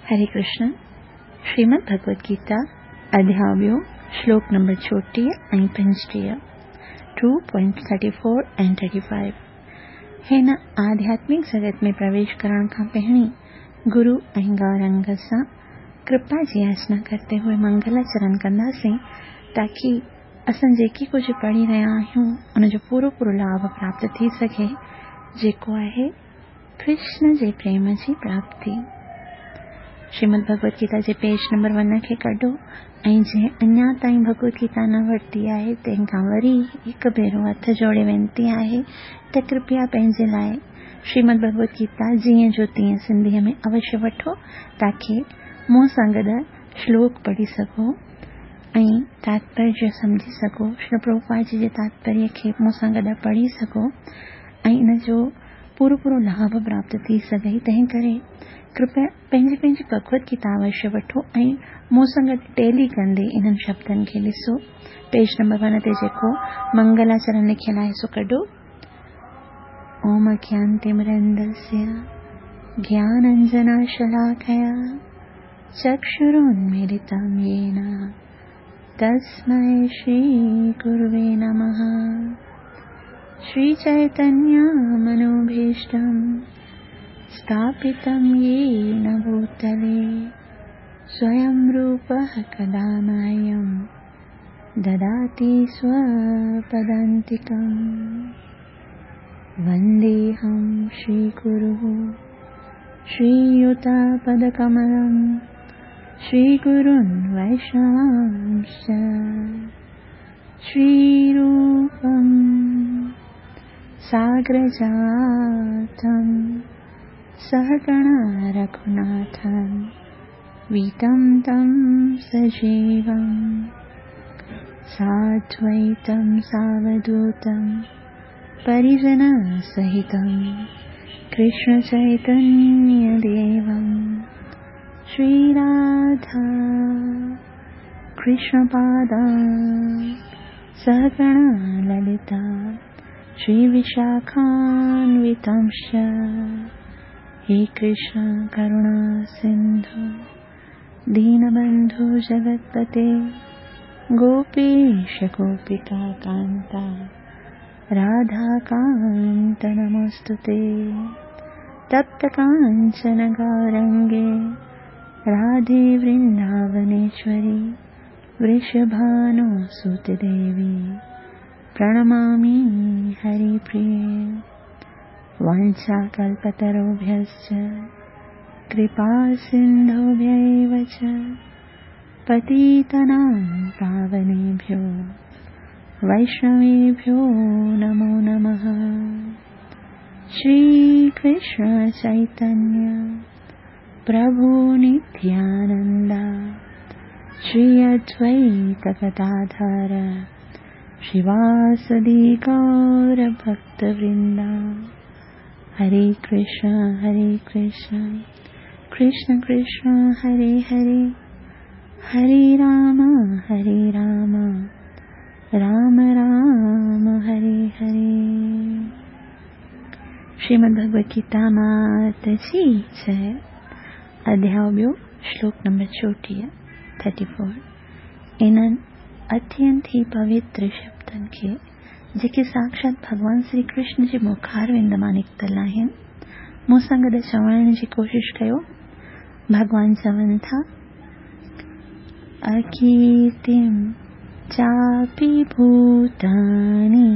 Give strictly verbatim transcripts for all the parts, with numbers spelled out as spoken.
हरे कृष्ण। श्रीमद् भगवद गीता अध्याय ॿियो, श्लोक नंबर चोटीह ऐं पंजटीह, two point thirty four and thirty five. हिन आध्यात्मिक जगत में प्रवेश करण खां पहिरीं गुरु ऐं गौरंग सां कृपा जी याचना करते हुए मंगलाचरण कंदासीं, ताकि असां जेकी कुझु पढ़ी रहिया आहियूं उनजो पूरो पूरो लाभ प्राप्त थी सघे, जेको आहे कृष्ण जे प्रेम जी प्राप्ति। श्रीमद् भगवद गीता जे पेज नंबर वन खे कढो ऐं जंहिं अञा ताईं भगवद गीता न वरिती आहे तंहिंखां वरी हिकु भेरो हथ जोड़े विनती आहे त कृपया पंहिंजे लाइ श्रीमद् भगवद गीता जीअं जो तीअं सिंधीअ में अवश्य वठो, ताकि मूं सां गॾु श्लोक पढ़ी सघो ऐं तात्पर्य सम्झी सघो, श्री प्रभुपाद जी जे तात्पर्य खे मूं सां गॾु पढ़ी सघो ऐं इन जो पूरो पूरो लाभ प्राप्त थी सघे। तंहिं करे कृपया पंहिंजी पंहिंजी भगवद गीता अवश्य वठो ऐं मूं सां गॾु टेली कंदे इन्हनि शब्दनि खे ॾिसो। पेज नंबर वन ते जेको मंगलाचरण लिखियलु आहे सो कढो। ओम अज्ञानतिमिरन्दस्य ज्ञानाञ्जनशलाकया चक्षुरुन्मीलितं येन तस्मै श्रीगुरुवे नमः। श्रीचैतन्यमनोभीष्टं स्थापितं येन भूतले स्वयं रूपः कदा मह्यं ददाति स्वपदान्तिकं। वन्देऽहं श्रीगुरुः श्रीयुतपदकमलं श्रीगुरुन् वैष्णवांश्च श्रीरूपं साग्रजातं सहगणा रघुनाथं वीतं तं सजीवं साद्वैतं सावधूतं परिजनसहितं कृष्णचैतन्यदेवं श्रीराधा कृष्णपादां सहगणा ललिता श्रीविशाखान्वितांश्च। हे कृष्ण करुणा सिन्धु दीनबन्धु जगत्पते गोपेश गोपिका कान्ता राधाकान्त नमोऽस्तु ते। तप्त काञ्चन गौरङ्गे राधे वृन्दावनेश्वरी वृषभानुसुते देवी प्रणमामि हरिप्रिये। वाञ्छाकल्पतरुभ्यश्च कृपासिन्धुभ्यैव च पतितानां पावनेभ्यो वैष्णवेभ्यो नमो नमः। श्रीकृष्ण चैतन्य प्रभु नित्यानन्द श्री अद्वैत गदाधर श्रीवासदि गौरभक्तवृन्द। हरे कृष्ण हरे कृष्ण कृष्ण कृष्ण हरे हरे, हरे राम हरे राम राम राम हरे हरे। श्रीमद् भगवद गीता मात जी जय। अध्याय ॿियो, श्लोक नंबर चोटीह, थर्टी फोर। इन्हनि अत्यंत ई पवित्र शब्दनि खे जेके साक्षात भॻवान श्री कृष्ण जे मुखारविंद मां निकितल आहिनि, मूं सां गॾु चवण जी कोशिशि कयो। भॻवान चवनि था, अकीर्तिं चापि भूतानि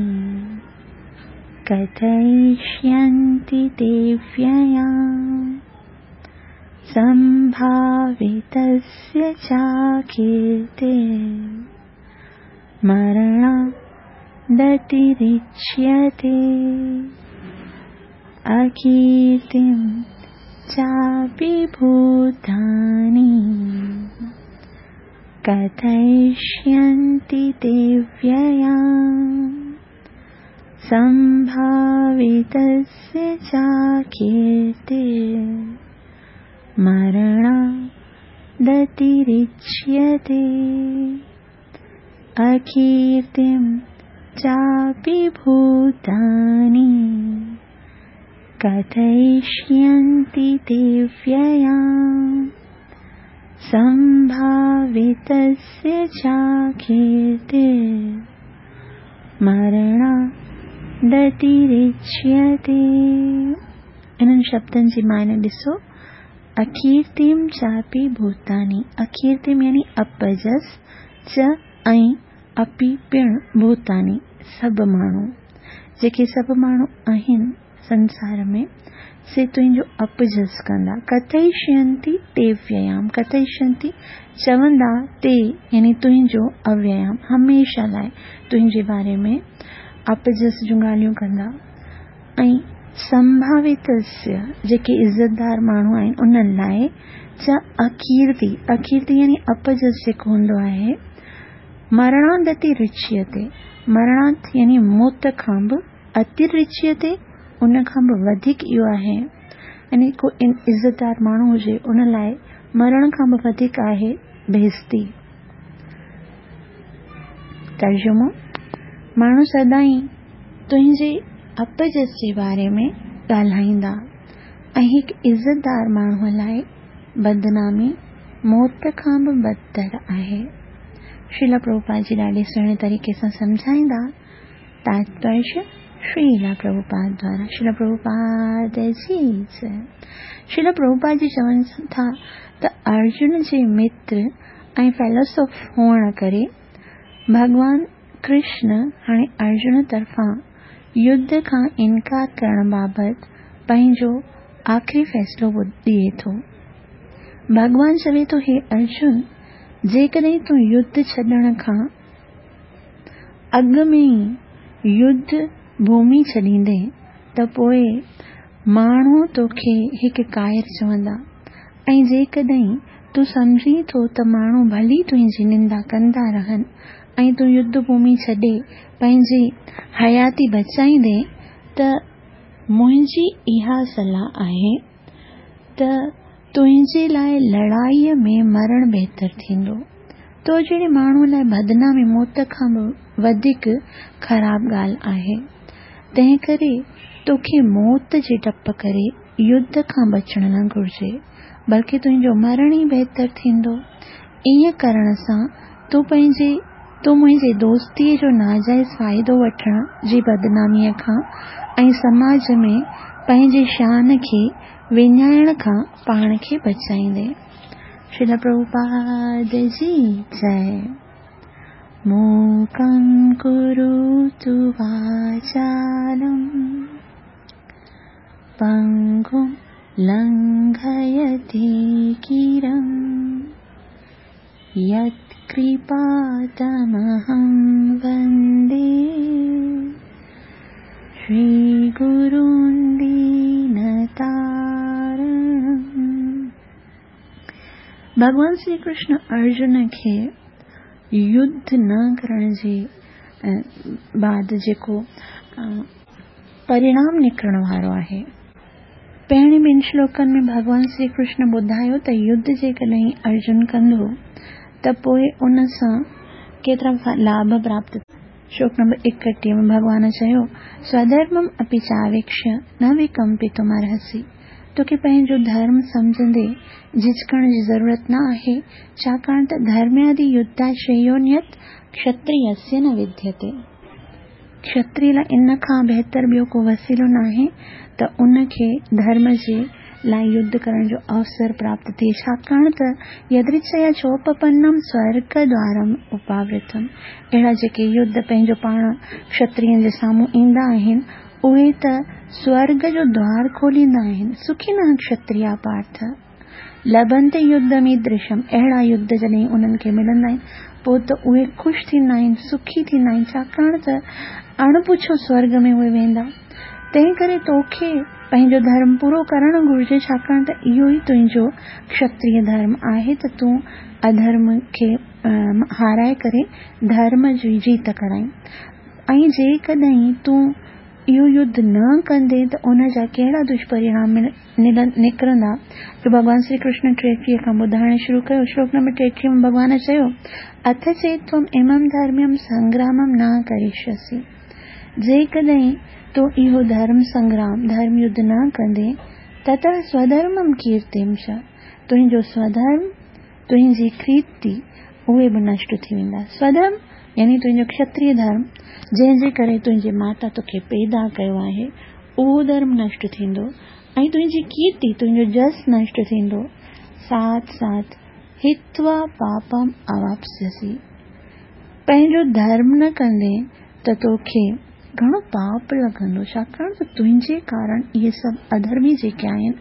कथयिष्यन्ति ते व्ययाम् सम्भावितस्य चाकीर्तिर् मरणादतिरिच्यते। अकीर्तिं चापि भूतानि कथयिष्यन्ति ते व्ययाम् सम्भावितस्य चाकीर्तिर् मरणादतिरिच्यते। अकीर्तिं चापि भूतानि कथयिष्यन्ति ते व्ययाम् संभावितस्य चाकीर्तिर्मरणादतिरिच्यते। इन्हनि शब्दनि जी मायने ॾिसो, अकीर्तिम चापि भूतानि, अकीर्तिम यानी अपजस, च ऐं अपि पिण, भूतानि सभु माण्हू, जेके सभु माण्हू आहिनि संसार में से तुंहिंजो अपजस कंदा। कथयिष्यन्ति ते व्ययाम, कथयिष्यन्ति चवंदा, ते यानी तुंहिंजो अव्ययाम, हमेशा लाइ तुंहिंजे बारे में अपजस जूं ॻाल्हियूं कंदा। ऐं संभावितस्य जेके इज़तदार माण्हू आहिनि उन्हनि लाइ च अकीर्ति, अकीर्ति यानी अपजस जेको हूंदो आहे, मरणादतिरिच्यते, मरणात् यानी मौत खां बि, अतिरिच्यते उन खां बि वधीक इहो आहे, यानी को इज़तदार माण्हू हुजे उन लाइ मरण खां बि वधीक आहे बेइज़ती। तर्जुमो, माण्हू सदाईं तुंहिंजे अपजस जे बारे में ॻाल्हाईंदा ऐं हिकु इज़तदार माण्हूअ लाइ बदनामी मौत खां बि बदतर आहे। श्रील प्रभुपाद जी ॾाढे सुहिणे तरीक़े सां सम्झाईंदा। तात्पर्य श्रील प्रभुपाद द्वारा, श्रील प्रभुपाद जी जय। श्रील प्रभुपाद जी चवनि था त अर्जुन जे मित्र ऐं फेलोसॉफ हुअण करे भॻवान कृष्ण हाणे अर्जुन तरफ़ां युद्ध खां इनकार करण बाबति पंहिंजो आख़िरी फ़ैसिलो ॾिए थो। भॻवान चवे थो, हे अर्जुन, जेकॾहिं तूं युद्ध छॾण खां अॻु में ई युद्ध भूमि छॾींदे त पोइ माण्हू तोखे हिकु कायर चवंदा, ऐं जेकॾहिं तूं सम्झीं थो त माण्हू भली तुंहिंजी निंदा कंदा रहनि ऐं तूं युद्ध भूमि छॾे पंहिंजी हयाती बचाईंदे त मुंहिंजी इहा सलाह आहे त तुंहिंजे लाइ लड़ाईअ में मरण बहितर थींदो। तो जहिड़े माण्हूअ लाइ बदनामी मौत खां बि वधीक ख़राब ॻाल्हि आहे, तंहिंकरे तोखे मौत जे डप करे युद्ध खां बचणु न घुर्जे, बल्कि तुंहिंजो मरण ई बहितर थींदो। ईअं करण सां तूं पंहिंजे तूं मुंहिंजे दोस्तीअ जो नाजाइज़ फ़ाइदो वठण जी बदनामीअ खां ऐं समाज में पंहिंजे शान खे विञाइण खां पाण खे बचाईंदे। श्रील प्रभुपाद जी जय। मूकं करोतु वाचालं पङ्गुं लङ्घयते गिरिं यत्कृपातमहं वन्दे श्रीगुरुं दीनतारणम्। भॻवान श्री कृष्ण अर्जुन खे युद्ध न करण जे बाद जेको परिणाम निकिरण वारो आहे, पहिरीं ॿिनि श्लोकनि में भॻवान श्री कृष्ण ॿुधायो त युद्ध जेकॾहिं अर्जुन कंदो त पोइ उन सां केतिरा लाभ प्राप्त। श्लोक नंबर एकटीह में भॻवान चयो, स्वधर्मम् अपि चावेक्ष्य न विकम्पितुमर्हसि। तोखे पंहिंजो धर्म सम्झंदे झिझकण जी ज़रूरत न आहे, छाकाणि त धर्म्यादि युद्धाश्रेयोऽन्यत् क्षत्रियस्य न विद्यते। क्षत्रिय लाइ इन खां बहितर ॿियो को वसीलो नाहे त उनखे धर्म जे लाइ युद्ध करण जो अवसर प्राप्त थिए, छाकाणि त यदृच्छया चोपपन्नम स्वर्गद्वारम् उपावृतम्। अहिड़ा जेके युद्ध पंहिंजो पाण क्षत्रियनि जे साम्हूं ईंदा आहिनि उहे त स्वर्ग जो द्वार खोलींदा आहिनि। सुखिनः क्षत्रिया पार्थ लभन्ते युद्धमीदृशम्। अहिड़ा युद्ध जॾहिं उन्हनि खे मिलंदा आहिनि पोइ त उहे ख़ुशि थींदा आहिनि, सुखी थींदा आहिनि, छाकाणि त अणपुछो स्वर्ग में उहे वेंदा। तंहिं करे तोखे पंहिंजो धर्म पूरो करणु घुर्जे, छाकाणि त इहो ई तुंहिंजो क्षत्रिय धर्म आहे त तूं अधर्म खे हाराए करे धर्म जी जीत कराई। ऐं जेकॾहिं तूं इहो युद्ध न कंदे त उन जा कहिड़ा दुष्परिणाम निकिरंदा, जो भॻवान श्री कृष्ण टेटीह खां ॿुधाइणु शुरू कयो। श्लोक नंबर टेटीह में भॻवान चयो, अथ चेत् त्वम् इमं धर्म्यं संग्रामं न करिष्यसि। जेकॾहिं तूं इहो धर्म संग्राम, धर्म युद्ध न कंदे, ततः स्वधर्मं कीर्तिं च, तुंहिंजो स्वधर्म तुंहिंजी कीर्ति, उहे बि नष्ट थी वेंदा। स्वधर्म यानी तुंहिंजो क्षत्रिय धर्म, जंहिंजे करे तुंहिंजी माता तोखे पैदा कयो आहे, उहो धर्म नष्ट थींदो ऐं तुंहिंजी कीर्ति, तुंहिंजो जस नष्ट थींदो। साथ साथ हित्वा पापम अवाप्स्यसि, पंहिंजो धर्म न कंदे त तोखे घणो पाप लॻंदो, छाकाणि त तुंहिंजे कारण इहे सभु अधर्मी जेके आहिनि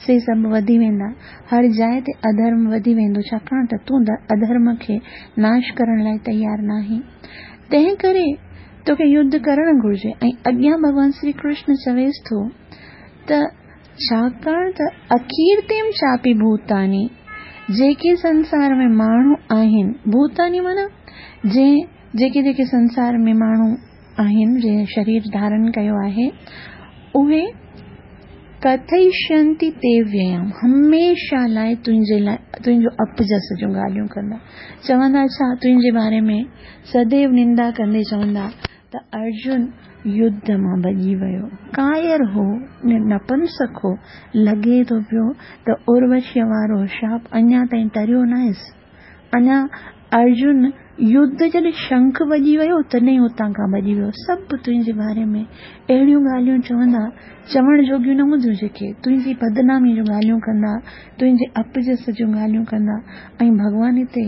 से सभु वधी वेंदा। हर जाइ ते अधर्म वधी वेंदो, छाकाणि त तूं अधर्म खे नाश करण लाइ तयारु न आहीं। तंहिं करे तोखे युद्ध करणु घुरिजे। ऐं अॻियां भॻवान श्री कृष्ण चवेसि थो त छाकाणि त अकीर्तिम चापी भूतानी, जेके संसार में माण्हू आहिनि, भूतानी माना जंहिं जेके जेके संसार में माण्हू आहिनि, जंहिं शरीर धारण कयो आहे, उहे कथयिष्यन्ति ते व्ययम्, हमेशा लाइ तुंहिंजे लाइ तुंहिंजो अपजस जूं ॻाल्हियूं कंदा। चवंदा छा तुंहिंजे बारे में सदैव निंदा कंदे चवंदा त अर्जुन युद्ध मां भॼी वियो, कायर हो, नपुंसक हो, लॻे थो पियो त उर्वशीअ वारो शाप अञा ताईं टरियो न आहिसि। अञा अर्जुन युद्ध जॾहिं शंख वॼी वियो तॾहिं उतां खां भॼी वियो। सभु तुंहिंजे बारे में अहिड़ियूं ॻाल्हियूं चवंदा, चवण जोगियूं न हूंदियूं, जेके तुंहिंजी बदनामी जूं ॻाल्हियूं कंदा, तुंहिंजे अपजस जूं ॻाल्हियूं कंदा। ऐं भॻवान हिते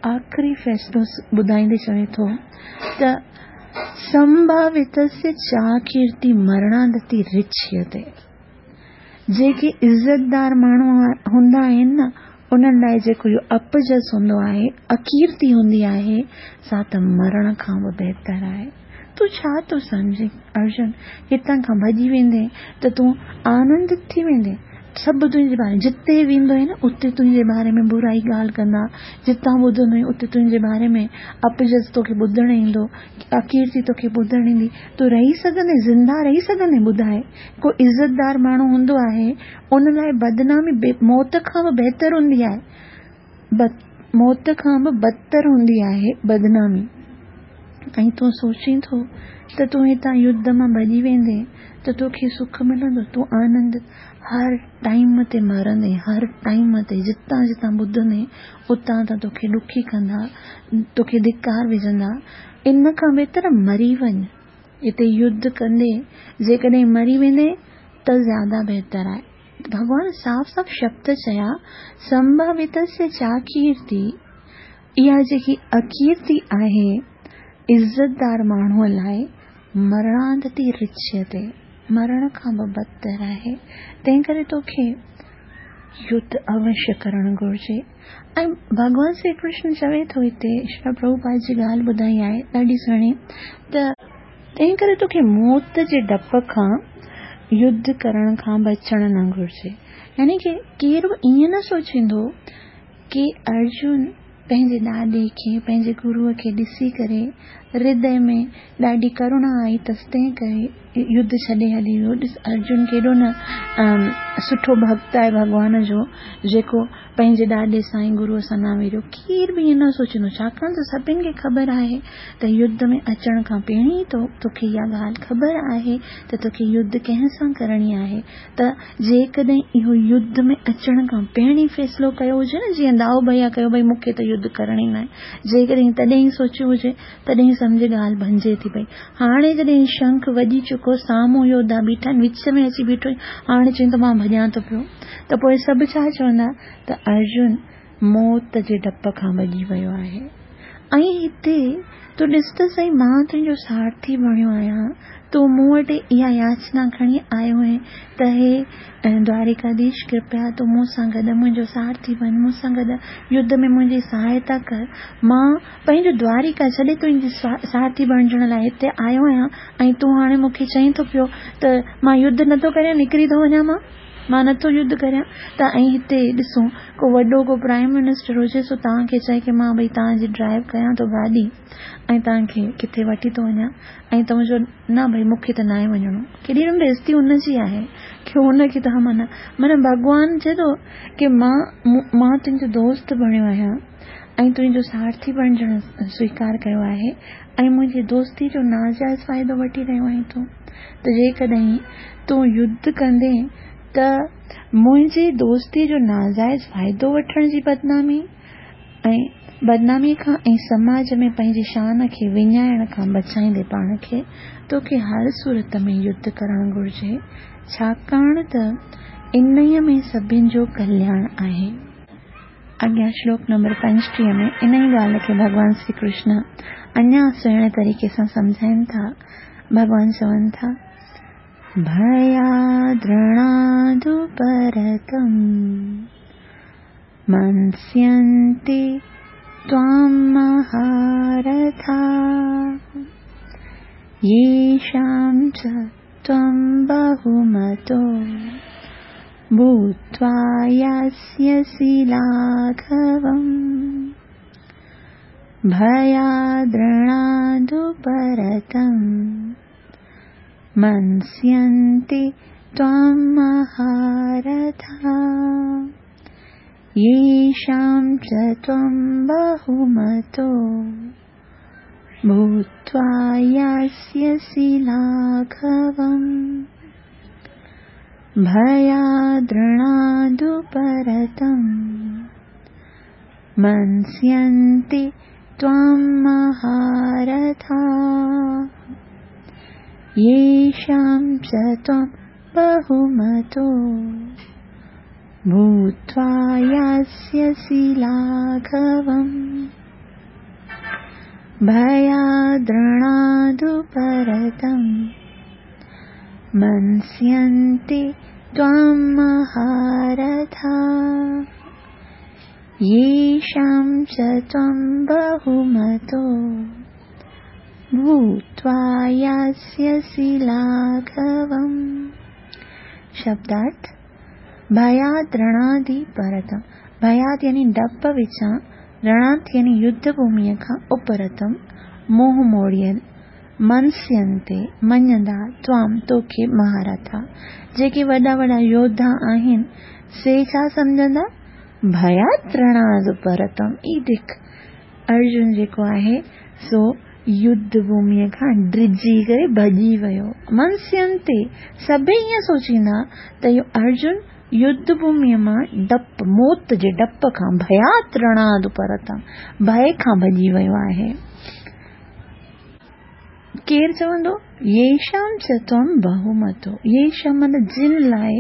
आख़िरी फ़ैसिलो ॿुधाईंदे चवे थो त संभावितस्य चाकीर्ति मरणादति रिच्यते, जेके इज़तदार माण्हू हूंदा आहिनि न, उन्हनि लाइ जेको इहो अपजस हूंदो आहे, अकीर्ति हूंदी आहे, सा त मरण खां बि बहितर आहे। तूं छा थो सम्झे अर्जुन, हितां खां भॼी वेंदे त तूं आनंदित थी वेंदे? सभु तुंहिंजे बारे जिते वेंदो आहे न उते तुंहिंजे बारे में बुराई ॻाल्हि कंदा, जितां ॿुधंदो आहीं उते तुंहिंजे बारे में अपजस तोखे ॿुधण ईंदो, अकीर्ति तोखे ॿुधण ईंदी। तूं रही सघंदे, ज़िंदा रही सघंदे? ॿुधाए, को इज़तदार माण्हू हूंदो आहे उन लाइ बदनामी मौत खां बि बहितर हूंदी आहे, मौत खां बि बदतर हूंदी आहे बदनामी। ऐं तूं सोचीं थो त तूं हितां युद्ध मां भॼी वेंदे त तोखे सुख मिलंदो, तूं आनंद हर टाइम ते मरंदे, हर टाइम ते जितां जितां ॿुधंदे उतां तां तोखे ॾुखी कंदा, तोखे धिकार विझंदा। इन खां बहितर मरी वञ, हिते युद्ध कंदे जेकॾहिं मरी वेंदे त ज़्यादा बहितर आहे। भॻवान साफ़ साफ़ शब्द चया, संभावितस्य चाकीर्ति, इहा जेकी अकीर्ति आहे इज़तदार माण्हूअ लाइ मरणादति रिच्यते, मरण खां बि बदतर आहे। तंहिं करे तोखे युद्ध अवश्य करणु घुरिजे। ऐं भॻवान श्री कृष्ण चवे थो हिते, श्री प्रभुपाद जी ॻाल्हि ॿुधाई आहे ॾाढी सुहिणी, त तंहिं करे तोखे मौत जे डप खां युद्ध करण खां बचणु न घुरिजे। यानी की केरु बि ईअं न सोचींदो की अर्जुन पंहिंजे ॾाॾे खे, पंहिंजे गुरूअ खे ॾिसी करे हृदय में ॾाढी करुणा आई अथसि, तंहिं करे युद्ध छॾे हली वियो। ॾिस अर्जुन केॾो न सुठो भक्त आहे भॻवान जो, जेको पंहिंजे ॾाॾे सां ऐं गुरूअ सां न विरियो। केरु बि ईअं न सोचींदो, छाकाणि त सभिनी खे ख़बर आहे त युद्ध में अचण खां पहिरीं ई तोखे इहा ॻाल्हि ख़बर आहे त तोखे युद्ध कंहिं सां करणी आहे। त जेकॾहिं इहो युद्ध में अचण खां पहिरीं फ़ैसिलो कयो हुजे न, जीअं दाऊ भैया कयो, भई मूंखे त युद्ध करणो ई न आहे, जेकॾहिं तॾहिं सोचियो हुजे तॾहिं सम्झे ॻाल्हि बणिजे थी पई। हाणे जॾहिं शंख वॼी चुको, साम्हूं योद्धा बीठा आहिनि, विच में अची बीठो, हाणे चई त मां भॼां थो पियो, त पोइ सभु छा चवंदा त अर्जुन मौत जे डप खां भॼी वियो आहे। ऐं हिते तूं ॾिस त सही, मां तुंहिंजो सारथी बणियो आहियां, तूं मूं वटि इहा याचना खणी आयो आहीं त हे द्वारिकाधीश, कृपया तूं मूं सां गॾु मुंहिंजो सारथी बण, मूं सां गॾु युद्ध में मुंहिंजी सहायता कर। मां पंहिंजो द्वारिका छॾे तुंहिंजी सारथी बणिजण लाइ हिते आयो आहियां ऐं तूं हाणे मूंखे चई थो पियो त मां युद्ध नथो करियां, निकिरी थो वञा, मां मां नथो युद्ध करियां। त ऐं हिते ॾिसो को वॾो को प्राइम मिनिस्टर हुजे, सो तव्हांखे चए की मां भई तव्हांजी ड्राइव कयां थो गाॾी ऐं तव्हांखे किथे वठी थो वञा, ऐं तव्हां चओ न भई मूंखे त नाहे वञिणो, केॾी न बेइज़ती हुनजी आहे की हुनखे तव्हां माना माना भॻवान चए थो की मां मां तुंहिंजो दोस्त बणियो आहियां ऐं तुंहिंजो सारथी बणिजण स्वीकार कयो आहे ऐं मुंहिंजी दोस्ती जो नाजाइज़ फ़ाइदो वठी रहियो आहीं तूं। त जेकॾहिं तूं युद्ध कंदे त मुंहिंजी दोस्ती जो नाजाइज़ फ़ाइदो वठण जी बदनामी ऐं बदनामी खां ऐं समाज में पंहिंजी शान खे विञाइण खां बचाईंदे पाण खे तोखे हर सूरत में युद्ध करणु घुरिजे, छाकाणि त इन्हीअ में सभिनी जो कल्याण आहे। अॻियां श्लोक नंबर पंजटीह में इन ई ॻाल्हि खे भॻवान श्री कृष्ण अञा सुहिणे तरीक़े सां सम्झाइनि था। भॻवान चवनि था, भयाद्रणादुपरतं मंस्यन्ति त्वां महारथा येषां च त्वं बहुमतो भूत्वा यास्यसि लाघवम्। भयाद्रणादुपरतं मंस्यन्ति त्वां महारथा येषां च त्वं बहुमतो भूत्वा यास्यसि लाघवम्। भयाद्रणादुपरतं मंस्यन्ति त्वां महारथा येषां च त्वं बहुमतो भूत्वा यास्यसि लाघवम्। भयाद्रणादुपरतं मंस्यन्ति त्वां महारथा येषां च त्वं बहुमतो भूत्वा यास्यसि लाघवम्। शब्दार्थ, भयाद्रणादि परतम, भयाद यानी डप विचां, रणाद यानी युद्ध भूमिअ खां उपरतम, मोह मोड़ियल, मनस्यंते मञंदा, त्वाम तोखे महारथा, जेके वॾा वॾा योद्धा आहिनि से छा सम्झंदा, भयाद्रणाद परतम। ई दिख अर्जुन जेको आहे सो युद्ध भूमिअ खां ड्रिजी करे भॼी वियो। मनस्यंते सभई ईअं सोचींदा त इहो अर्जुन युद्ध भूमिअ मां डप, मौत जे डप खां, भयाद्रणाद परतम, भय खां भॼी वियो आहे। केरु चवंदो, येषां च त्वं बहुमतो, येषां माना जिन लाइ,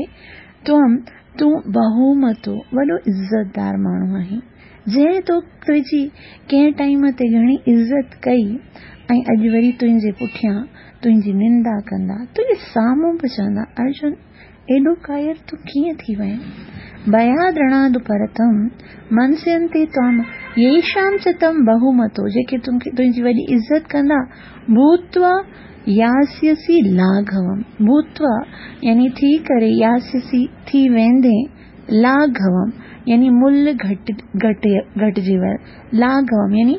त्वं तूं बहुमतो, वॾो इज़तदार माण्हू आहीं, जंहिं तो तुंहिंजी कंहिं टाइम ते घणी इज़त कई ऐं अॼु वरी तुंहिंजे पुठियां तुंहिंजी निंदा कंदा, तुंहिंजे साम्हूं बि चवंदा, अर्जुन एॾो कायर तूं कीअं थी वहीं। भयाद्रणाद परतम मनस्यन्ते त्वां येषां च तं बहुमतो, जेके तुंहिंजी वॾी इज़त कंदा, भूत्वा यास्यसि लाघवम, भूत्वा यानी थी करे, यास्यसि थी वेंदे, लाघवम यानी मुल्ह घटि घटि घटिजी वियो, लाघवम यानी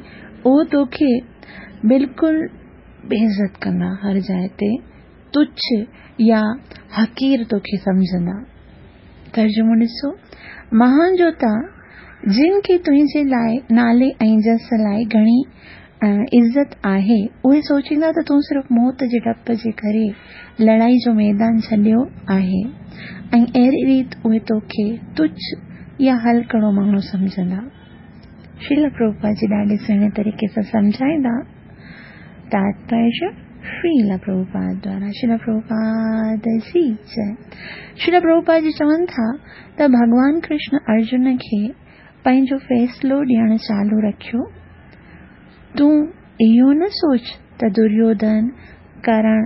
उहो तोखे बिल्कुलु बेइज़त कंदा, हर जाइ ते तुच्छ या हक़ीर तोखे सम्झंदा। तर्जुमो ॾिसो, महान जोता जिन खे तुंहिंजे लाइ नाले ऐं जस लाइ घणी इज़त आहे, उहे सोचींदा त तूं सिर्फ़ु मौत जे डप जे करे लड़ाई जो मैदान छॾियो आहे ऐं अहिड़ी रीति उहे तोखे तुच्छ या हल्कड़ो माण्हू सम्झंदा। श्रील प्रभुपाद जी ॾाढे सुहिणे तरीक़े सां सम्झाईंदा। तात्पर्य श्रील प्रभुपाद द्वारा। श्रील प्रभुपाद जी जय। श्रील प्रभुपाद जी चवनि था त भॻवान कृष्ण अर्जुन खे पंहिंजो फ़ैसिलो ॾियणु चालू रखियो। तूं इहो न सोच त दुर्योधन, करण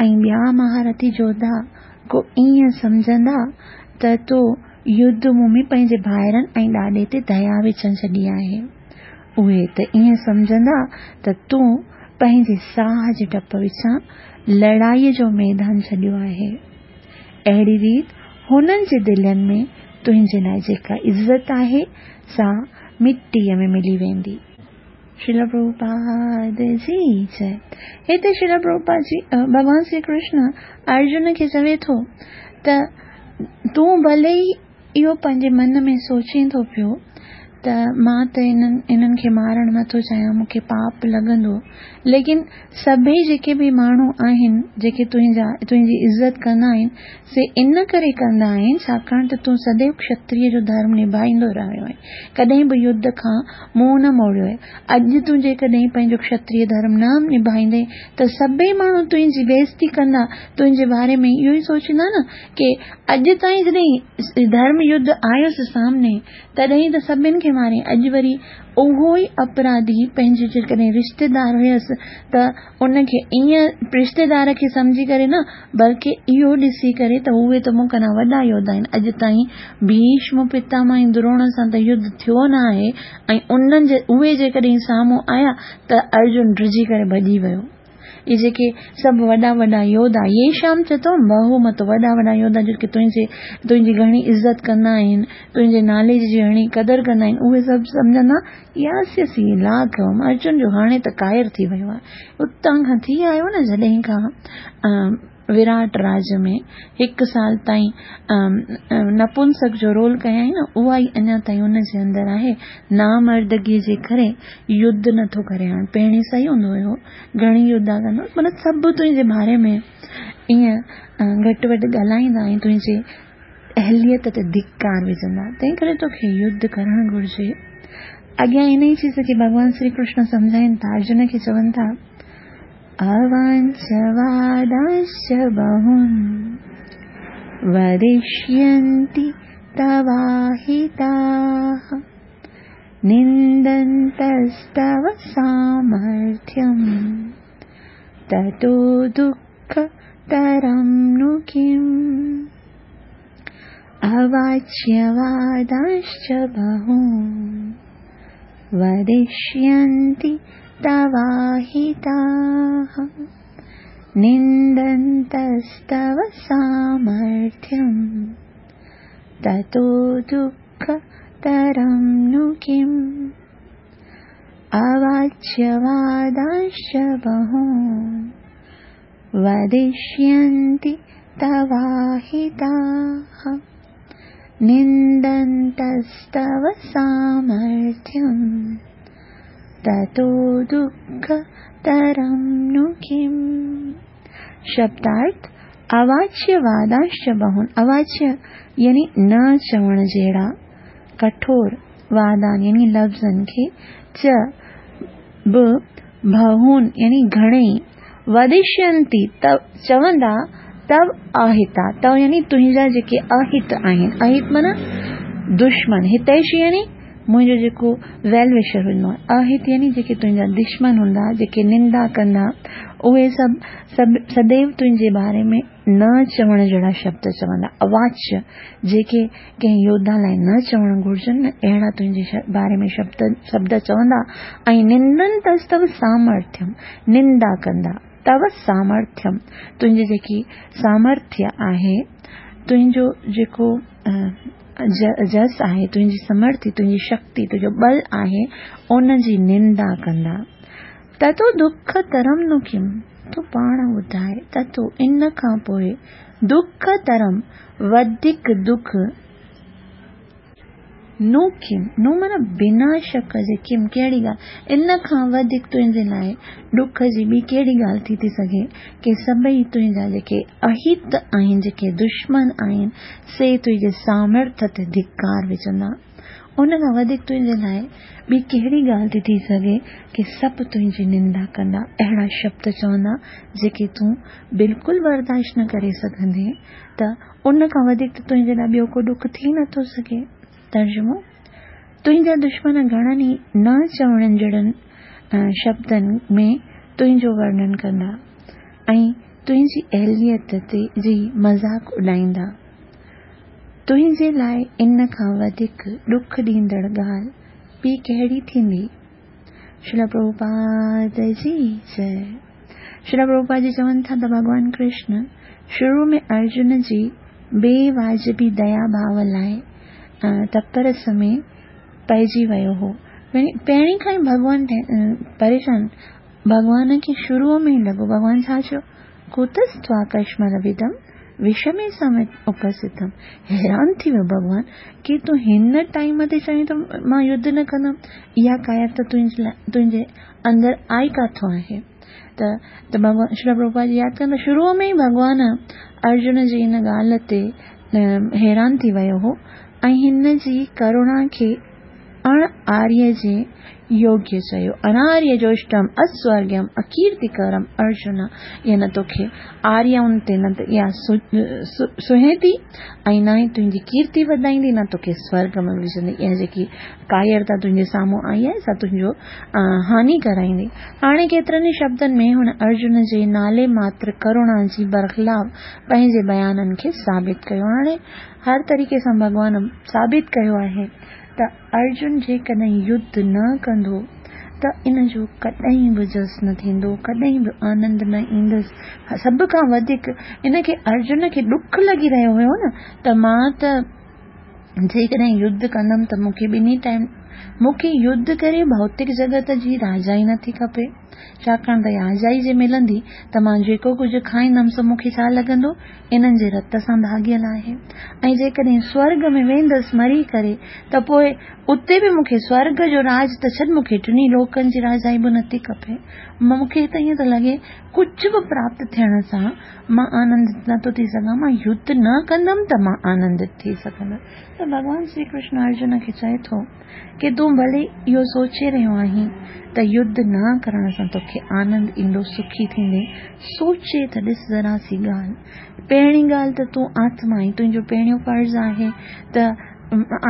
ऐं ॿिया महारथी योद्धा को ईअं सम्झंदा त तो युद्ध भूमि पंहिंजे भाइरनि ऐं ॾाॾे ते दया विझणु छॾी आहे। उहे त ईअं सम्झंदा त तूं पंहिंजे साह जे डप विचां लड़ाईअ जो मैदान छॾियो आहे। अहिड़ी रीति हुननि जे दिलनि में तुंहिंजे लाइ जेका इज़त आहे सा मिटीअ में मिली वेंदी। श्रील प्रभुपाद जी जय। हिते श्रील प्रभुपाद जी भॻवान श्री कृष्ण अर्जुन खे चवे थो त तूं भले ई इहो पंहिंजे मन में सोचीं थो पियो त त मां त इन्हनि इन्हनि खे मारणु नथो चाहियां, मूंखे पाप लॻंदो। लेकिन सभई जेके बि माण्हू आहिनि जेके तुंहिंजा तुंहिंजी इज़त कंदा आहिनि, से इन करे कंदा आहिनि छाकाणि त तूं सदैव क्षत्रिय जो धर्म निभाईंदो रहियो आहीं, कॾहिं बि युद्ध खां मुंहुं न मोड़ियो आहे। अॼु तूं जेकॾहिं पंहिंजो क्षत्रिय धर्म न निभाईंदे त सभई माण्हू तुंहिंजी बेइज़ती कंदा, तुंहिंजे बारे में इहो ई सोचींदा न की अॼु ताईं जॾहिं धर्म युद्ध आयुसि सामने तॾहिं त सभिनी खे मारे, अॼु वरी उहो ई अपराधी पंहिंजे जेकॾहिं रिश्तेदार हुयसि त उनखे ईअं रिश्तेदार खे सम्झी करे न, बल्कि इहो ॾिसी करे त उहे त मूं खां वॾा योद्धा आहिनि, अॼु ताईं भीष्म पितामह ऐं द्रोण सां त युद्ध थियो न आहे, ऐं उन्हनि जे उहे जेकॾहिं साम्हूं आया त अर्जुन डिॼी करे भॼी वियो। इहे जेके सभु वॾा वॾा योद्धा, येषां च त्वं बहुमत, वॾा वॾा योद्धा जेके तुंहिंजे तुंहिंजी घणी इज़त कंदा आहिनि, तुंहिंजे नाले जी घणी क़दर कंदा आहिनि, उहे सभु सम्झंदा यास्यसि लाघवम्, अर्जुन जो हाणे त कायर थी वियो आहे। उतां खां थी आयो न जॾहिं खां विराट राज में हिकु साल ताईं नपुंसक जो रोल कयाईं न, उहा ई अञा ताईं उनजे अंदरि आहे। नामर्दगीअ जे करे युद्ध नथो करे हाणे, पहिरीं सही हूंदो हुयो, घणी युद्धा कंदो, माना सभु तुंहिंजे बारे में ईअं घटि वधि ॻाल्हाईंदा ऐं तुंहिंजे अहलियत ते धिकार विझंदा, तंहिं करे तोखे युद्ध करणु घुरिजे। अॻियां इन ई चीज़ खे भॻवान श्री कृष्ण सम्झाइनि था, अर्जुन खे चवनि था अवाञ्छवादाश्च बहून् वदिष्यन्ति तवाहिताः निन्दन्तस्तव सामर्थ्यम् ततो दुःखतरं नु किम्। अवाच्यवादाश्च बहून् वदिष्यन्ति तवाहिताः निन्दन्तस्तव सामर्थ्यम् ततो दुःखतरं नु किम्। अवाच्यवादाश्च बहून् वदिष्यन्ति तवाहिताः निन्दन्तस्तव सामर्थ्यम् ततो दुःखतरं नु किम्। शब्दार्थ अवाच्य वादाश्च बहुन, अवाच्य यानी न चवण जहिड़ा कठोर वादान यानी लफ़्ज़नि खे, च बि बहुन यानी घणेई, वदिष्यन्ति त चवंदा, तव अहिता, तव यानी तुंहिंजा जेके अहित आहिनि, अहित माना दुश्मन, हितैषी यानी मुंहिंजो जेको वेल विशर हूंदो आहे, अहित यानी जेके तुंहिंजा दुश्मन हूंदा, जेके निंदा कंदा, उहे सभु सभु सदैव तुंहिंजे बारे में न चवण जहिड़ा शब्द चवंदा। अवाच्य जेके कंहिं योद्धा लाइ न चवणु घुरिजनि न, अहिड़ा तुंहिंजे बारे में शब्द शब्द चवंदा। ऐं निंदन्तस्तव सामर्थ्यम, निंदा कंदा, तव सामर्थ्यम तुंहिंजी जेकी सामर्थ्य आहे, तुंहिंजो जेको जस आहे, तुंहिंजी समर्थी, तुंहिंजी शक्ति, तुंहिंजो बल आहे, उनजी निंदा कंदा। ततो दुख तरम नु किम, तूं पाण ॿुधाए, ततो इन खां पोइ दुख तरम वधीक दुख नु किम, नु माना बिना शक जे, किम कहिड़ी ॻाल्हि, इन खां वधीक तुंहिंजे लाइ ॾुख जी ॿी कहिड़ी ॻाल्हि थी थी सघे की सभई तुंहिंजा जेके अहित आहिनि, जेके दुश्मन आहिनि, से तुंहिंजे सामर्थ ते धिकार विझंदा। उन खां वधीक तुंहिंजे लाइ ॿी कहिड़ी ॻाल्हि थी थी सघे की सभु तुंहिंजी निंदा कंदा, अहिड़ा शब्द चवंदा जेके तूं बिल्कुलु बर्दाश्त न करे सघंदे, त उन खां वधीक त तुंहिंजे लाइ ॿियो को ॾुख थी नथो सघे। तर्जुमो, तुंहिंजा दुश्मन घणनि ई न चवण जहिड़नि शब्दनि में तुंहिंजो वर्णन कंदा ऐं तुंहिंजी अहलियत ते जी मज़ाक उॾाईंदा। तुंहिंजे लाइ इन खां वधीक ॾुख ॾींदड़ ॻाल्हि ॿी कहिड़ी थींदी? श्रील प्रभुपाद जी जय। श्रील प्रभुपाद जी चवनि था त भॻवान कृष्ण शुरू में अर्जुन जी बेवाजिबी दया भाव लाइ तपरस में पइजी वियो हो। पहिरीं खां ई भॻवान परेशान, भॻवान खे शुरू में ई लॻो। भॻवान छा चयो? कुतस्त्वाकस्मलविदं विषमे समय उपस्थितम। हैरान थी वियो भॻवान की तूं हिन टाइम ते चवीं थो मां युद्ध न कंदमि, इहा कायरता तुंहिंजे तुंहिंजे अंदरि आई काथों आहे? त त भॻवान श्री प्रभुपाद जी यादि कंदा, शुरू में ई भॻवान अर्जुन जी इन ॻाल्हि ते हैरान थी वियो हो ऐं हिन जी करुणा खे अण आर्य जे योग्य चयो। अनार्य जोष्टम अस्वर्ग्यम अकीर्तिकरम अर्जुन, इहा न तोखे आर्यउनि ते न त इहा सुहे थी ऐं न ई तुंहिंजी कीर्ति वधाईंदी, न तोखे स्वर्ग में विझंदी। इहा जेकी कायरता तुंहिंजे साम्हूं आई आहे सा तुंहिंजो हानि कराईंदी। हाणे केतिरनि ई शब्दनि में हुन अर्जुन जे नाले मात्र करुणा जी बरख़िलाफ़ पंहिंजे बयाननि खे साबित कयो। हाणे हर तरीक़े सां भॻवान साबित कयो आहे त अर्जुन जेकॾहिं युद्ध न कंदो त इन जो कॾहिं बि जस न थींदो, कॾहिं बि आनंद न ईंदसि। सभ खां वधीक इनखे अर्जुन खे ॾुख लॻी रहियो हुयो न त मां त जेकॾहिं युद्ध कंदमि त मूंखे ॿिन्ही टाइम मूंखे युद्ध करे भौतिक जगत जी राजाई नथी खपे, छाकाणि त राजाई जे मिलंदी त मां जेको कुझु खाईंदमि सो मूंखे छा लॻंदो, इन्हनि जे रत सां भाॻियल आहे। ऐं जेकॾहिं स्वर्ग में वेंदसि मरी करे त पोइ उते बि मूंखे स्वर्ग जो राज त छॾ, मूंखे टिन्ही लोकनि जी राजाई बि नथी खपे। मूंखे त ईअं थो लॻे कुझु बि प्राप्त थियण सां मां आनंदित नथो थी सघां, मां युद्ध न कंदमि त मां आनंदित थी सघंदुसि। त भॻवान श्री कृष्ण अर्जुन खे चए थो की तूं भले इहो सोचे रहियो आहीं त युद्ध न करण सां तोखे आनंद ईंदो, सुखी थींदे, सोचे त ॾिस ज़रा सी ॻाल्हि। पहिरीं ॻाल्हि त तूं आत्मा आहीं, तुंहिंजो पहिरियों फ़र्ज़ आहे त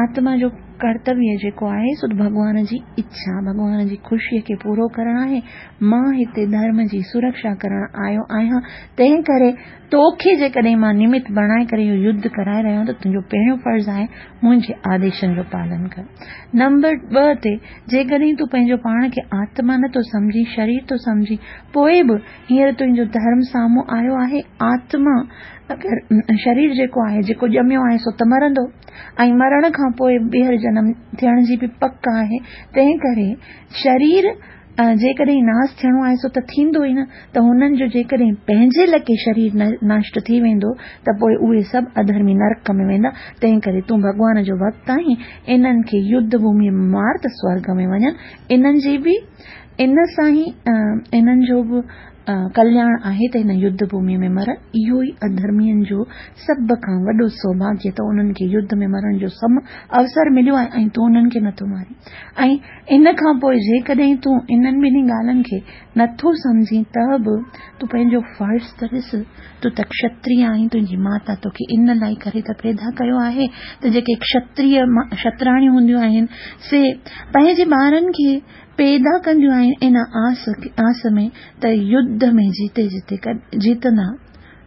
आत्मा जो कर्तव्य जेको आहे सो भॻवान जी इच्छा, भॻवान जी ख़ुशीअ खे पूरो करणु आहे। मां हिते धर्म जी सुरक्षा करण आयो आहियां, तंहिं करे तोखे जेकॾहिं मां निमित बणाए करे इहो युद्ध कराए रहियो आहियां त तुंहिंजो पहिरियों फ़र्ज़ आहे मुंहिंजे आदेशनि जो पालन कर। नंबर ॿ ते जेकॾहिं तूं पंहिंजो पाण खे आत्मा नथो सम्झी, शरीर थो सम्झी, पोइ बि हींअर तुंहिंजो धर्म साम्हूं आयो आहे। आत्मा अगरि शरीर जेको आहे, जेको ॼमियो आहे सो त मरंदो ऐं मरण खां पोइ ॿीहर जनम थियण जी बि पक आहे। तंहिं करे शरीर जेकॾहिं नाश थियणो आहे सो त थींदो ई न, त हुननि जो जेकॾहिं पंहिंजे लके शरीर नष्ट थी वेंदो त पोइ उहे सभु अधर्मी नरक में वेंदा। तंहिं करे तूं भॻवान जो भक्त आहीं, इन्हनि खे युद्ध भूमीअ में मार त स्वर्ग में वञनि। इन्हनि जी बि इन सां ई इन्हनि जो बि कल्याण आहे त हिन युद्ध भूमीअ में मरण। इहो ई अधर्मियुनि जो सभ खां वॾो सौभाग्य त उन्हनि खे युद्ध में मरण जो सम अवसर मिलियो आहे ऐं तूं उन्हनि खे नथो मारी। ऐं इन खां पोइ जेकॾहिं तूं इन्हनि ॿिन्ही ॻाल्हियुनि खे नथो सम्झी त बि तूं पंहिंजो फ़र्ज़ त ॾिस। तूं त क्षत्रिय आहीं, तुंहिंजी माता तोखे इन लाइ करे त पैदा कयो आहे त जेके क्षत्रिय क्षत्राणियूं हूंदियूं आहिनि से पंहिंजे ॿारनि खे पैदा कंदियूं आहिनि इन आस आस में त युद्ध में जीते जीते जीतंदा,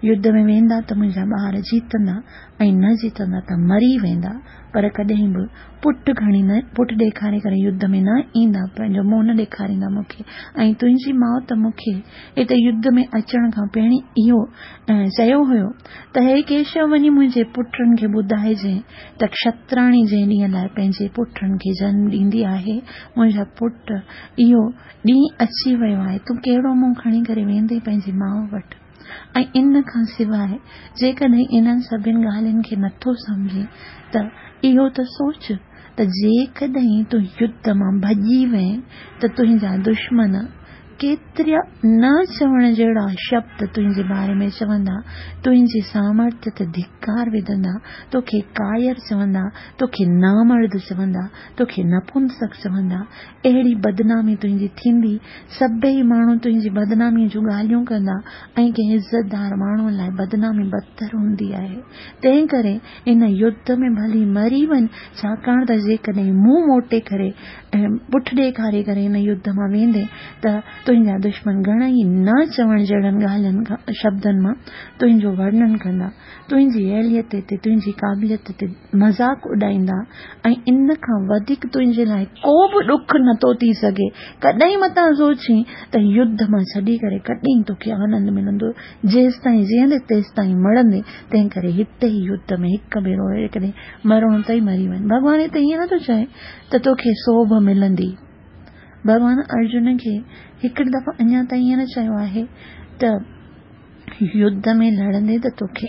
युद्ध में वेंदा त मुंहिंजा ॿार जीतंदा ऐं न जीतंदा त मरी वेंदा, पर कॾहिं बि पुट खणी न पुट ॾेखारे करे युद्ध में न ईंदा, पंहिंजो मुंहुं न ॾेखारींदा मूंखे। ऐं तुंहिंजी माउ त मूंखे हिते युद्ध में अचण खां पहिरीं इहो चयो हुयो त हे केशव, वञी मुंहिंजे पुटनि खे ॿुधाइजे त क्षत्राणी जंहिं ॾींहं लाइ पंहिंजे पुटनि खे जन्म ॾींदी आहे, मुंहिंजा पुट इहो ॾींहुं अची वियो आहे, तूं कहिड़ो मुंहुं खणी करे वेंदे पंहिंजी माउ वटि? ऐं इन खां सवाइ जेकॾहिं इन्हनि सभिनी ॻाल्हियुनि खे नथो सम्झी त इहो त सोच त जेकॾहिं तूं युद्ध मां भॼी वएं त तुंहिंजा दुश्मन केतिरा न चवण जहिड़ा शब्द तुंहिंजे बारे में चवंदा, तुंहिंजे सामर्थ्य ते धिकार विझंदा, तोखे कायर चवंदा, तोखे नामर्द चवंदा, तोखे नपुंसक चवंदा। अहिड़ी बदनामी तुंहिंजी थींदी, सभई माण्हू तुंहिंजी बदनामीअ जूं ॻाल्हियूं कंदा ऐं कंहिं इज़तदार माण्हूअ लाइ बदनामी बदतर हूंदी आहे। तंहिं करे इन युद्ध में भली मरी वञ, छाकाणि त जेकॾहिं मुंहुं मोटे करे ऐं पुठ ॾेखारे करे हिन युद्ध मां वेंदे त तुंहिंजा दुश्मन घणा ई न चवण जहिड़नि ॻाल्हियुनि खां शब्दनि मां तुंहिंजो वर्णन कंदा, तुंहिंजी अहलियत ते, तुंहिंजी क़ाबिलियत ते मज़ाक उॾाईंदा ऐं इन खां वधीक तुंहिंजे लाइ को बि ॾुख नथो थी सघे। कॾहिं मतां सोची त युद्ध मां छॾी करे कॾहिं तोखे आनंद मिलंदो, जेसि ताईं जीअंदे तेसि ताईं मरंदे। तंहिं करे हिते ई युद्ध में हिकु भेरो जेकॾहिं मरणो अथई मरी वञ। भॻवान हिते ईअं नथो चए त तोखे सोभ मिलंदी। भॻवान अर्जुन खे हिकिड़ी दफ़ा अञा ताईं ईअं न चयो आहे त يڌ ۾ لڙندين ته توکي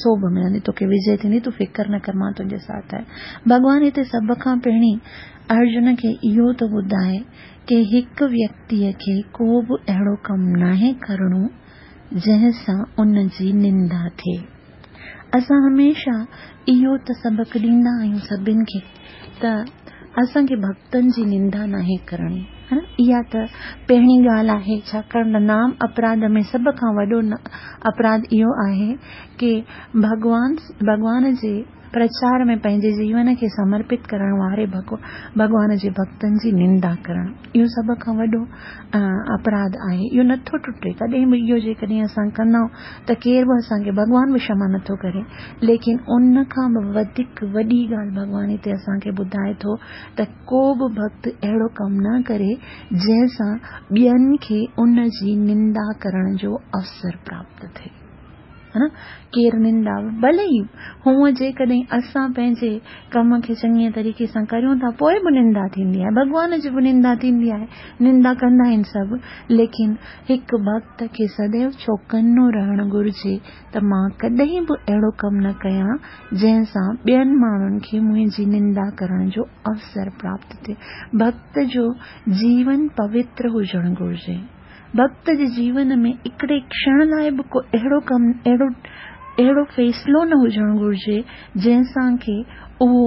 سوڀ ملندي، توکي وجي ٿيندي، تون فڪر نه ڪر، مان تنهنجي ساٿ آهيان. ڀڳوان هتي سڀ کان پهرين ارجن کي اهو ٿو ٻڌائي ڪي هڪ ويڪتيء کي ڪو به اهڙو ڪم ناهي ڪرڻو جنهن سان ان جي نندا ٿئي. اسان هميشه اهو ته سبق ڏيندا آهيون سڀن کي ته اسان کي ڀڳتن جي نندا ناهي ڪرڻي. اها ته پهرين ڳالهه آهي، ڇاڪاڻ ته نام اپراڌ ۾ سڀ کان وڏو اپراڌ اهو آهي ڪي ڀڳوان ڀڳوان جي پرچار ۾ پنهنجي جيون کي سمرپت ڪرڻ واري ڀڳوان جي ڀڳتن جي نندا ڪرڻ. اهو سڀ کان وڏو اپراڌ آهي. اهو نٿو ٽٽي ڪڏهن به. اهو جيڪڏهن اسان ڪندا ته ڪير به اسان کي ڀڳوان به ڪشما نٿو ڪري. ليڪن ان کان به وڌيڪ وڏي ڳالهه ڀڳوان هتي اسان کي ٻڌائي ٿو ته ڪو به ڀڳت اهڙو ڪم نه ڪري جنهن سان ٻين کي ان جي نندا ڪرڻ جو اوسر پراپت ٿئي. ها نه، ڪير نندا ڀلي ئي هونئن جيڪڏهن اسان پنهنجي ڪم کي چڱي طريقي سان ڪريون ٿا پوءِ به نندا ٿيندي آهي، ڀڳوان جي به نندا ٿيندي آهي، نندا ڪندا آهن سڀ. ليڪن هڪ ڀڳت کي سديو چوڪنو رهڻ گهرجي ته مان ڪڏهن به اهڙو ڪم نه ڪيان جنهن سان ٻين ماڻهن کي منهنجي نندا ڪرڻ جو اوسر پراپت ٿئي. ڀڳت جو جيون پوتر هجڻ گهرجي. ڀڳت جي جيون ۾ هڪڙي ڪشڻ لاءِ به ڪو اهڙو ڪم اهڙو اهڙو فيصلو نه هجڻ گهرجي جنهن سان ڪه اهو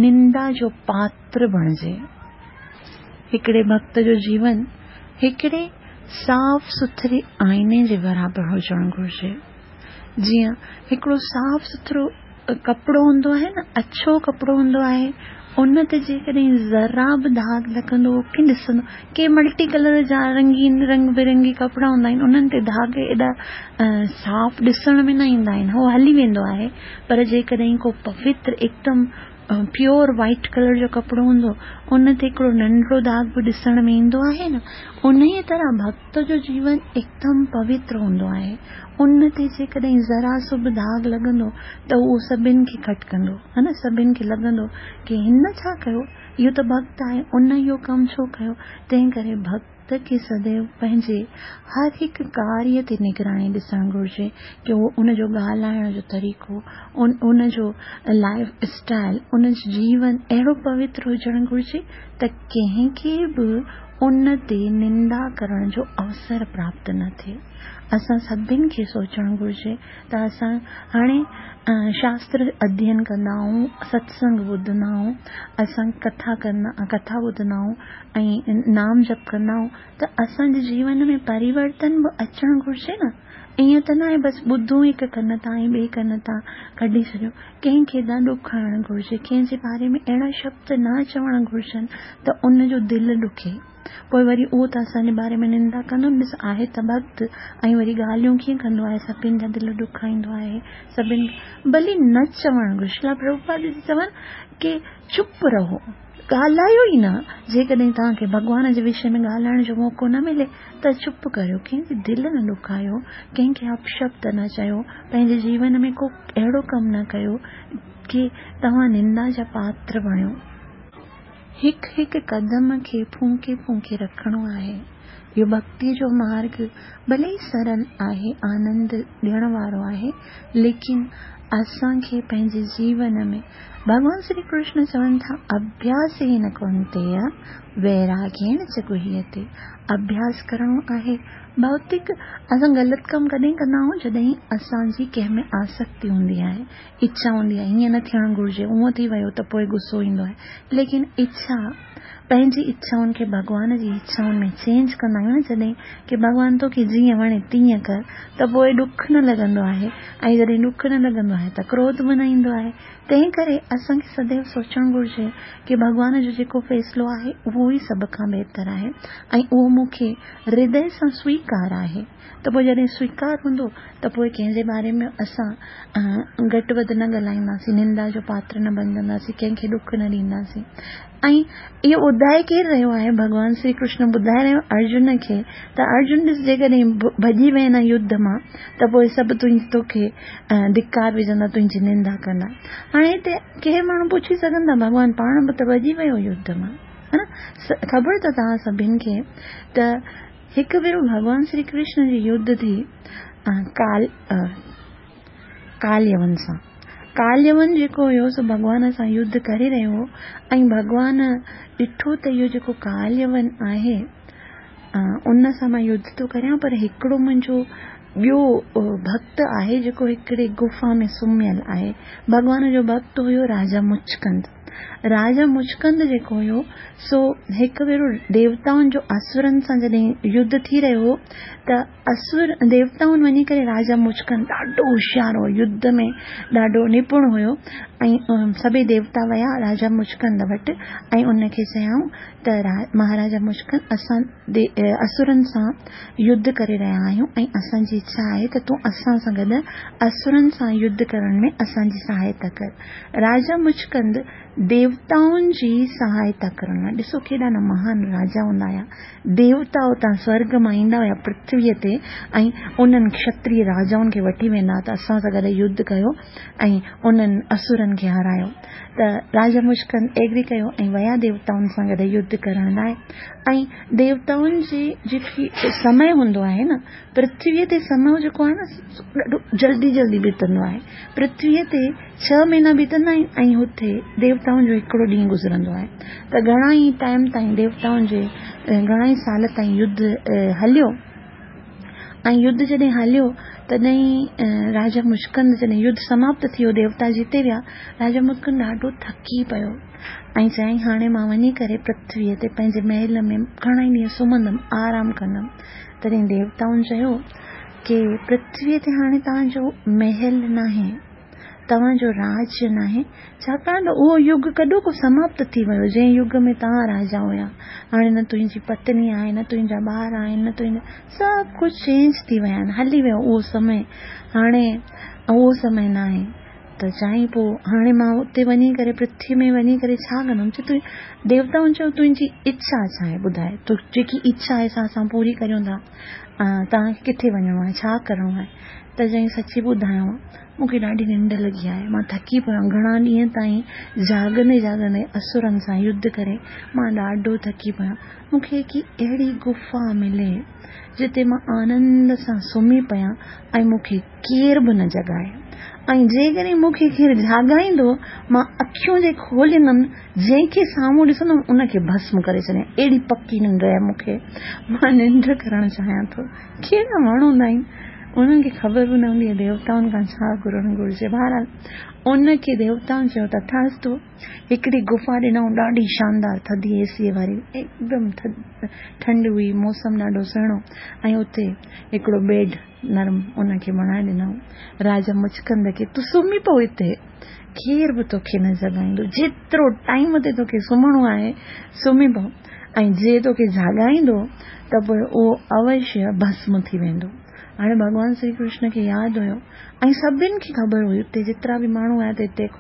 نندا جو پاتر بڻجي. هڪڙي ڀڳت جو جيون هڪڙي صاف سٿري آئيني جي برابر هجڻ گهرجي. جيئن هڪڙو صاف سٿرو ڪپڙو هوندو آهي نه، اڇو ڪپڙو هوندو آهي، ان تي جيڪڏهن ذرا به داغ لڳندو ڪي ڏسندو، ڪي ملٽي ڪلر جا رنگين رنگ برنگي ڪپڙا هوندا آهن، انهن تي داغ ايڏا صاف ڏسڻ ۾ نه ايندا آهن، هو هلي ويندو آهي. پر جيڪڏهن ڪو پوتر هڪدم پيور وائيٽ ڪلر جو ڪپڙو هوندو، ان تي هڪڙو ننڍڙو داغ به ڏسڻ ۾ ايندو آهي نه، ان ئي طرح ڀڳت جو جيون هڪدم پوتر هوندو آهي. ان تي جيڪڏهن ذرا سو به داغ لڳندو ته اهو سڀني کي کٽڪندو، ها نه، سڀني کي لڳندو ڪه هن ڇا ڪيو، اهو ته ڀڳت آهي، ان اهو ڪم ڇو ڪيو. تنهن ڪري ڀڳت کي سديو پنهنجي هر هڪ ڪاريه تي نگراني ڏسڻ گهرجي ڪه اهو ان جو ڳالهائڻ جو طريقو، ان ان جو لائف اسٽائل، ان جو جيون اهڙو پوتر هجڻ گهرجي ته ڪنهن کي به ان تي نندا ڪرڻ جو اوسر پراپت نه ٿئي. اسان سڀني کي سوچڻ گهرجي ته اسان هاڻي شاستر اڌيين ڪندا آهيون، ستسنگ ٻڌندا آهيون، اسان ڪٿا ڪندا ڪٿا ٻڌندا آهيون ۽ نام جپ ڪندا آهيون ته اسان جي جيون ۾ پريورتن به اچڻ گهرجي نه. ائين ته نه آهي بس ٻڌون هڪ ڪن تان ۽ ٻئي ڪن تان ڪڍي ڇڏيو. ڪنهن کي نه ڏکائڻ گهرجي، ڪنهن جي باري ۾ اهڙا شبد نه چوڻ گهرجن ته ان جو دل ڏکي. پوءِ وري اهو ته اسان جي باري ۾ نندا ڪندو، ڏس آهي ته ڀڳت ۽ وري ڳالهيون ڪيئن ڪندو آهي، سڀني جا دل ڏکائيندو آهي، سڀني ڀلي نه چوڻ گهرجي. شريلا پرڀوپاد جي چون ڪه چپ رهو، ڳالهايو ئي نه. جيڪڏهن توهان کي ڀڳوان جي وشي ۾ ڳالهائڻ جو موقعو نه ملي ته چپ ڪريو، ڪنهن جي دل نه ڏکايو، ڪنهن کي اپشبد نه چيو، پنهنجي جيون ۾ ڪو اهڙو ڪم نه ڪيو ڪه توهان نندا جا پاتر بڻيو. هڪ هڪ قدم کي ڦونڪي ڦونڪي رکڻو آهي. اهو ڀڳتيءَ جو مارگ ڀلي ئي سرل آهي، آنند ڏيڻ وارو آهي، ليڪن اسان کي پنهنجي جيون ۾ ڀڳوان شري ڪرشن چون ٿا اڀياس ئي نه ڪونتي ويراگيڻ چ گهيتي. اڀياس ڪرڻو آهي. ڀوتڪ اسان غلط ڪم ڪڏهن ڪندا آهيون جڏهن اسان جي ڪنهن ۾ آسڪتي هوندي آهي، اڇا هوندي آهي هيئن نه ٿيڻ گهرجي، هونئن ٿي ويو ته پوءِ غصو ايندو آهي. ليڪن اڇا پنهنجي اڇائن کي ڀڳوان جي اڇائن ۾ چينج ڪندا آهيون نه جڏهن ڪه ڀڳوان توکي جيئن وڻي تيئن ڪر، ته پوءِ ڏک نه لڳندو آهي ۽ جڏهن ڏک نه لڳندو آهي ته ڪروڌ به نه ايندو آهي. تنهن ڪري اسان کي سديو سوچڻ گهرجي ڪه ڀڳوان جو جيڪو فيصلو آهي اهو ئي سڀ کان بهتر آهي ۽ اهو مون کي هردي سان سويڪار آهي. ته پوءِ جڏهن سويڪار هوندو ته پوءِ ڪنهن جي باري ۾ اسان گهٽ وڌ نه ڳالهائينداسين، نندا جو پاتر نه بڻجنداسين، ڪنهن کي ڏک نه ڏينداسين. ۽ اهو ٻڌائي ڪير رهيو آهي؟ ڀڳوان شري ڪرشن ٻڌائي رهيو ارجن کي ته ارجن ڏس جيڪڏهن ڀڄي وئين نه يڌ مان ته پوءِ سڀ تنهنجي توکي ڌڪار وجهندا، تنهنجي نندا ڪندا. هاڻي هتي ڪنهن ماڻهو پڇي سگهندا ڀڳوان پاڻ به ته ڀڄي ويو يڌ مان، ها نه؟ خبر ته توهان سڀني کي ته هڪ ڀيرو ڀڳوان شري ڪرشن جي يڌ ٿي ڪال ڪاليون سان. ڪاليون جيڪو هيو سو ڀڳوان سان يڌ ڪري رهيو هو ۽ ڀڳوان ڏٺو ته اهو جيڪو ڪاليون آهي ان سان مان يڌ ٿو ڪريان، پر هڪڙو منهنجو ٻيو ڀڪت آهي جيڪو هڪڙي گفا ۾ سمهيل آهي. ڀڳوان جو ڀڪت هيو راجا مچڪند. راجا مچڪند جيڪو هيو سو هڪ ڀيرو ديوتائن جو اسرن سان جڏهن يڌ ٿي رهيو هو ته اسر ديوتائن وڃي ڪري راجا مچڪند ڏاڍو هوشيار هو، يڌ ۾ ڏاڍو نپڻ هيو ۽ سڀئي ديوتا ويا راجا مچڪند وٽ ۽ ان کي چيائون ته مهاراجا مچڪند، اسان اسرن سان يڌ ڪري رهيا آهيون ۽ اسان جي اڇا آهي ته تون اسان سان گڏ اسرن سان يڌ ڪرڻ ۾ اسان جي سهائتا ڪر. راجا مچڪند ديوتائن جي سهائتا ڪرڻ لاءِ، ڏسو ڪيڏا نه مهان راجا هوندا هئا، ديوتا اتان سورڳ مان ايندا هئا پرٿويءَ تي ۽ انهن کشتريه راجائن کي وٺي ويندا ته اسان سان گڏ يڌ ڪيو ۽ انهن اسرن کي هارايو. ته راجا مچڪند ايگري ڪيو ۽ ويا ديوتائن سان گڏ يڌ ڪرڻ لاءِ. ۽ ديوتائن جي جيڪي سمي هوندو آهي نه، پرٿويءَ تي سمي جيڪو آهي نه ڏاڍو جلدي جلدي بيتندو آهي. پرٿويءَ تي ڇهه مهينا بيتندا آهن ۽ هتي ديوتائن جو هڪڙو ڏينهن گذرندو آهي. ته گهڻا ئي ٽائيم تائين ديوتائن جي گهڻا ئي سال تائين يڌ هليو ۽ يڌ جڏهن هليو تڏهن راجا مچڪند جڏهن يڌ سماپت ٿي ويو، ديوتا جيتي ويا، راجا مچڪند ڏاڍو ٿڪي پيو ۽ چيائين هاڻي مان وڃي ڪري پرٿويءَ تي پنهنجي محل ۾ گهڻا ئي ڏينهن سمهندم، آرام ڪندم. تڏهن ديوتائن چيو ڪه پرٿويءَ تي هاڻي توهان جو محل ناهي، توهان جو راج ناهي، ڇاڪاڻ ته اهو يگ ڪڏهوڪو سماپت ٿي ويو جنهن يگ ۾ توهان راجا هئا. هاڻي نه تنهنجي پتني آهي، نه تنهنجا ٻار آهن، نه تنهنجا، سڀ ڪجهه چينج ٿي ويا آهن، هلي ويو اهو سمي، هاڻي اهو سمي ناهي. ته چيائين پوءِ هاڻي مان اتي وڃي ڪري پرٿويءَ ۾ وڃي ڪري ڇا ڪندم؟ چئي تون، ديوتائن چيو تنهنجي اڇا ڇا آهي ٻڌائي، تو جيڪي اڇا آهي سا اسان پوري ڪريون ٿا، توهان کي ڪٿي وڃڻو آهي، ڇا ڪرڻو آهي؟ ته چيائين سچي ٻڌايانو، مون کي ڏاڍي ننڊ لڳي آهي، مان ٿڪي پيو آهيان، گهڻا ڏينهن تائين جاڳندي جاڳندي اسرن سان يڌ ڪري مان ڏاڍو ٿڪي پيو آهيان، مون کي هڪ اهڙي گفا ملي جتي مان آنند سان سمهي پيان ۽ مون کي ڪير به نه جڳائي، ۽ جيڪڏهن مون کي ڪير جاڳائيندو مان اکيون جي کوليندم، جنهن کي سامهون ڏسندم ان کي ڀسم ڪري ڇڏيان، اهڙي پڪي ننڊ آهي مون کي، مان ننڊ ڪرڻ چاهيان ٿو. ڪهڙا ماڻهو هوندا آهن، انهن کي خبر به نه هوندي آهي ديوتائن کان ڇا گهرڻ گهرجي. بهرحال ان کي ديوتائن چيو تٿاستو، هڪڙي گفا ڏنائون ڏاڍي شاندار، ٿڌي اي سيءَ واري، هڪدم ٺنڊ هئي، موسم ڏاڍو سهڻو ۽ اتي هڪڙو بيڊ نرم ان کي بڻائي ڏنائون راجا مچڪند کي، تون سمهي پئو هتي، ڪير به توکي نه جڳائيندو، جيترو ٽائيم تي توکي سمهڻو آهي سمهي پئو، ۽ جي توکي جاڳائيندو ته پوءِ اهو اوشيه ڀسم ٿي ويندو. هاڻي ڀڳوان شري ڪرشن کي ياد هيو ۽ سڀني کي خبر هئي، اتي جيترا به ماڻهو آيا ته هتي هڪ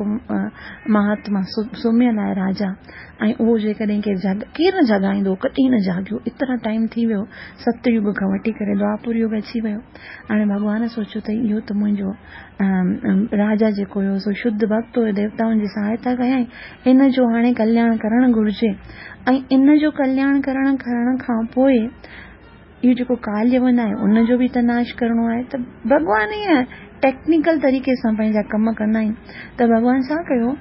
مهاتما سمهيل آهي راجا، ۽ اهو جيڪڏهن ڪير جاڳ ڪير نه جاڳائيندو، ڪڏهن نه جاڳيو، ايترا ٽائيم ٿي ويو، ست يگ کان وٺي ڪري دواپر يگ اچي ويو. هاڻي ڀڳوان سوچيو ته اهو ته منهنجو راجا جيڪو هيو سو شڌ ڀڪت هيو، ديوتائن جي سهائتا ڪيائين، ان جو هاڻي ڪلياڻ ڪرڻ گهرجي. ۽ ان جو ڪلياڻ ڪرڻ ڪرڻ کان پوءِ اهو جيڪو ڪاليون آهي ان جو به ته ناش ڪرڻو آهي. ته ڀڳوان ائين ٽيڪنيڪل طريقي سان پنهنجا ڪم ڪندا آهن. ته ڀڳوان ڇا ڪيو،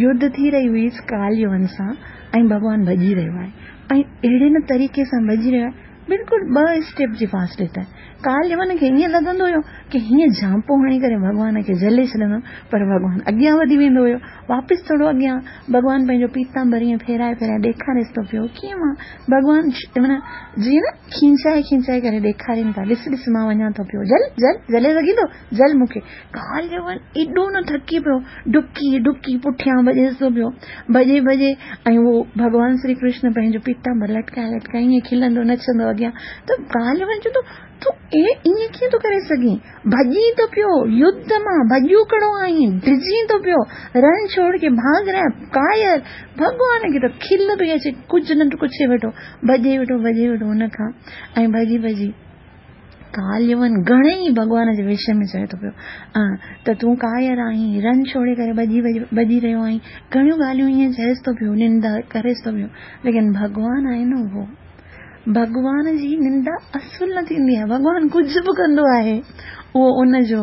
يڌ ٿي رهي هئي ڪاليون سان ۽ ڀڳوان ڀڄي رهيو آهي ۽ اهڙي نه طريقي سان ڀڄي رهيو آهي، بلڪل ٻه اسٽيپ جي فاصلي تي. ڪاليون کي ائين لڳندو هيو ڪه هيئن جهانپو هڻي ڪري ڀڳوان کي جهلي ڇڏندم، پر ڀڳوان اڳيان وڌي ويندو هيو، واپس ٿورو اڳيان ڀڳوان پنهنجو پيتامبر ائين ڦيرائي ڦيرائي ڏيکاريس ٿو پيو، ڪيئن مان ڀڳوان معنيٰ جيئن نه کينچائي کينچائي ڪري ڏيکارين ٿا، ڏس ڏس مان وڃان ٿو پيو، جهل جهل جهلي سگهين ٿو، جهل مون کي. ڪاليون ايڏو نه ٿڪي پيو، ڊڪي ڊڪي پٺيان ڀڄيس ٿو پيو، ڀڄي ڀڄي، ۽ اهو ڀڳوان شري ڪرشن پنهنجو پيتامبر لٽڪائي لٽڪائي ائين کلندو نچندو اڳيان. ته ڪاليون چوندو تون ائين ڪيئن ٿو ڪري سگهين، ڀڄين ٿو پيو يڌ مان، ڀڄو ڪڙو آهين، ڊڄين ٿو پيو، رن ڇوڙ ڪي ڀاڳ رهيا ڪاير. ڀڳوان کي ته کل پئي اچي، ڪجهه نه ڪجهه ويٺو ڀڄي ويٺو ڀڄي ويٺو هن کان، ۽ ڀڄي ڀڄي ڪاليون گهڻي ئي ڀڳوان جي وشي ۾ چئي ٿو پيو ته تون ڪاير آهين، رن ڇوڙي ڪري ڀڄي ڀڄي ڀڄي رهيو آهين، گهڻيون ڳالهيون ائين چئيس ٿو پيو، نندا ڪريس ٿو پيو، ليڪن ڀڳوان آهي نه اهو ڀڳوان جي نندا اصل نه ٿيندي آهي. ڀڳوان ڪجهه به ڪندو آهي اهو ان جو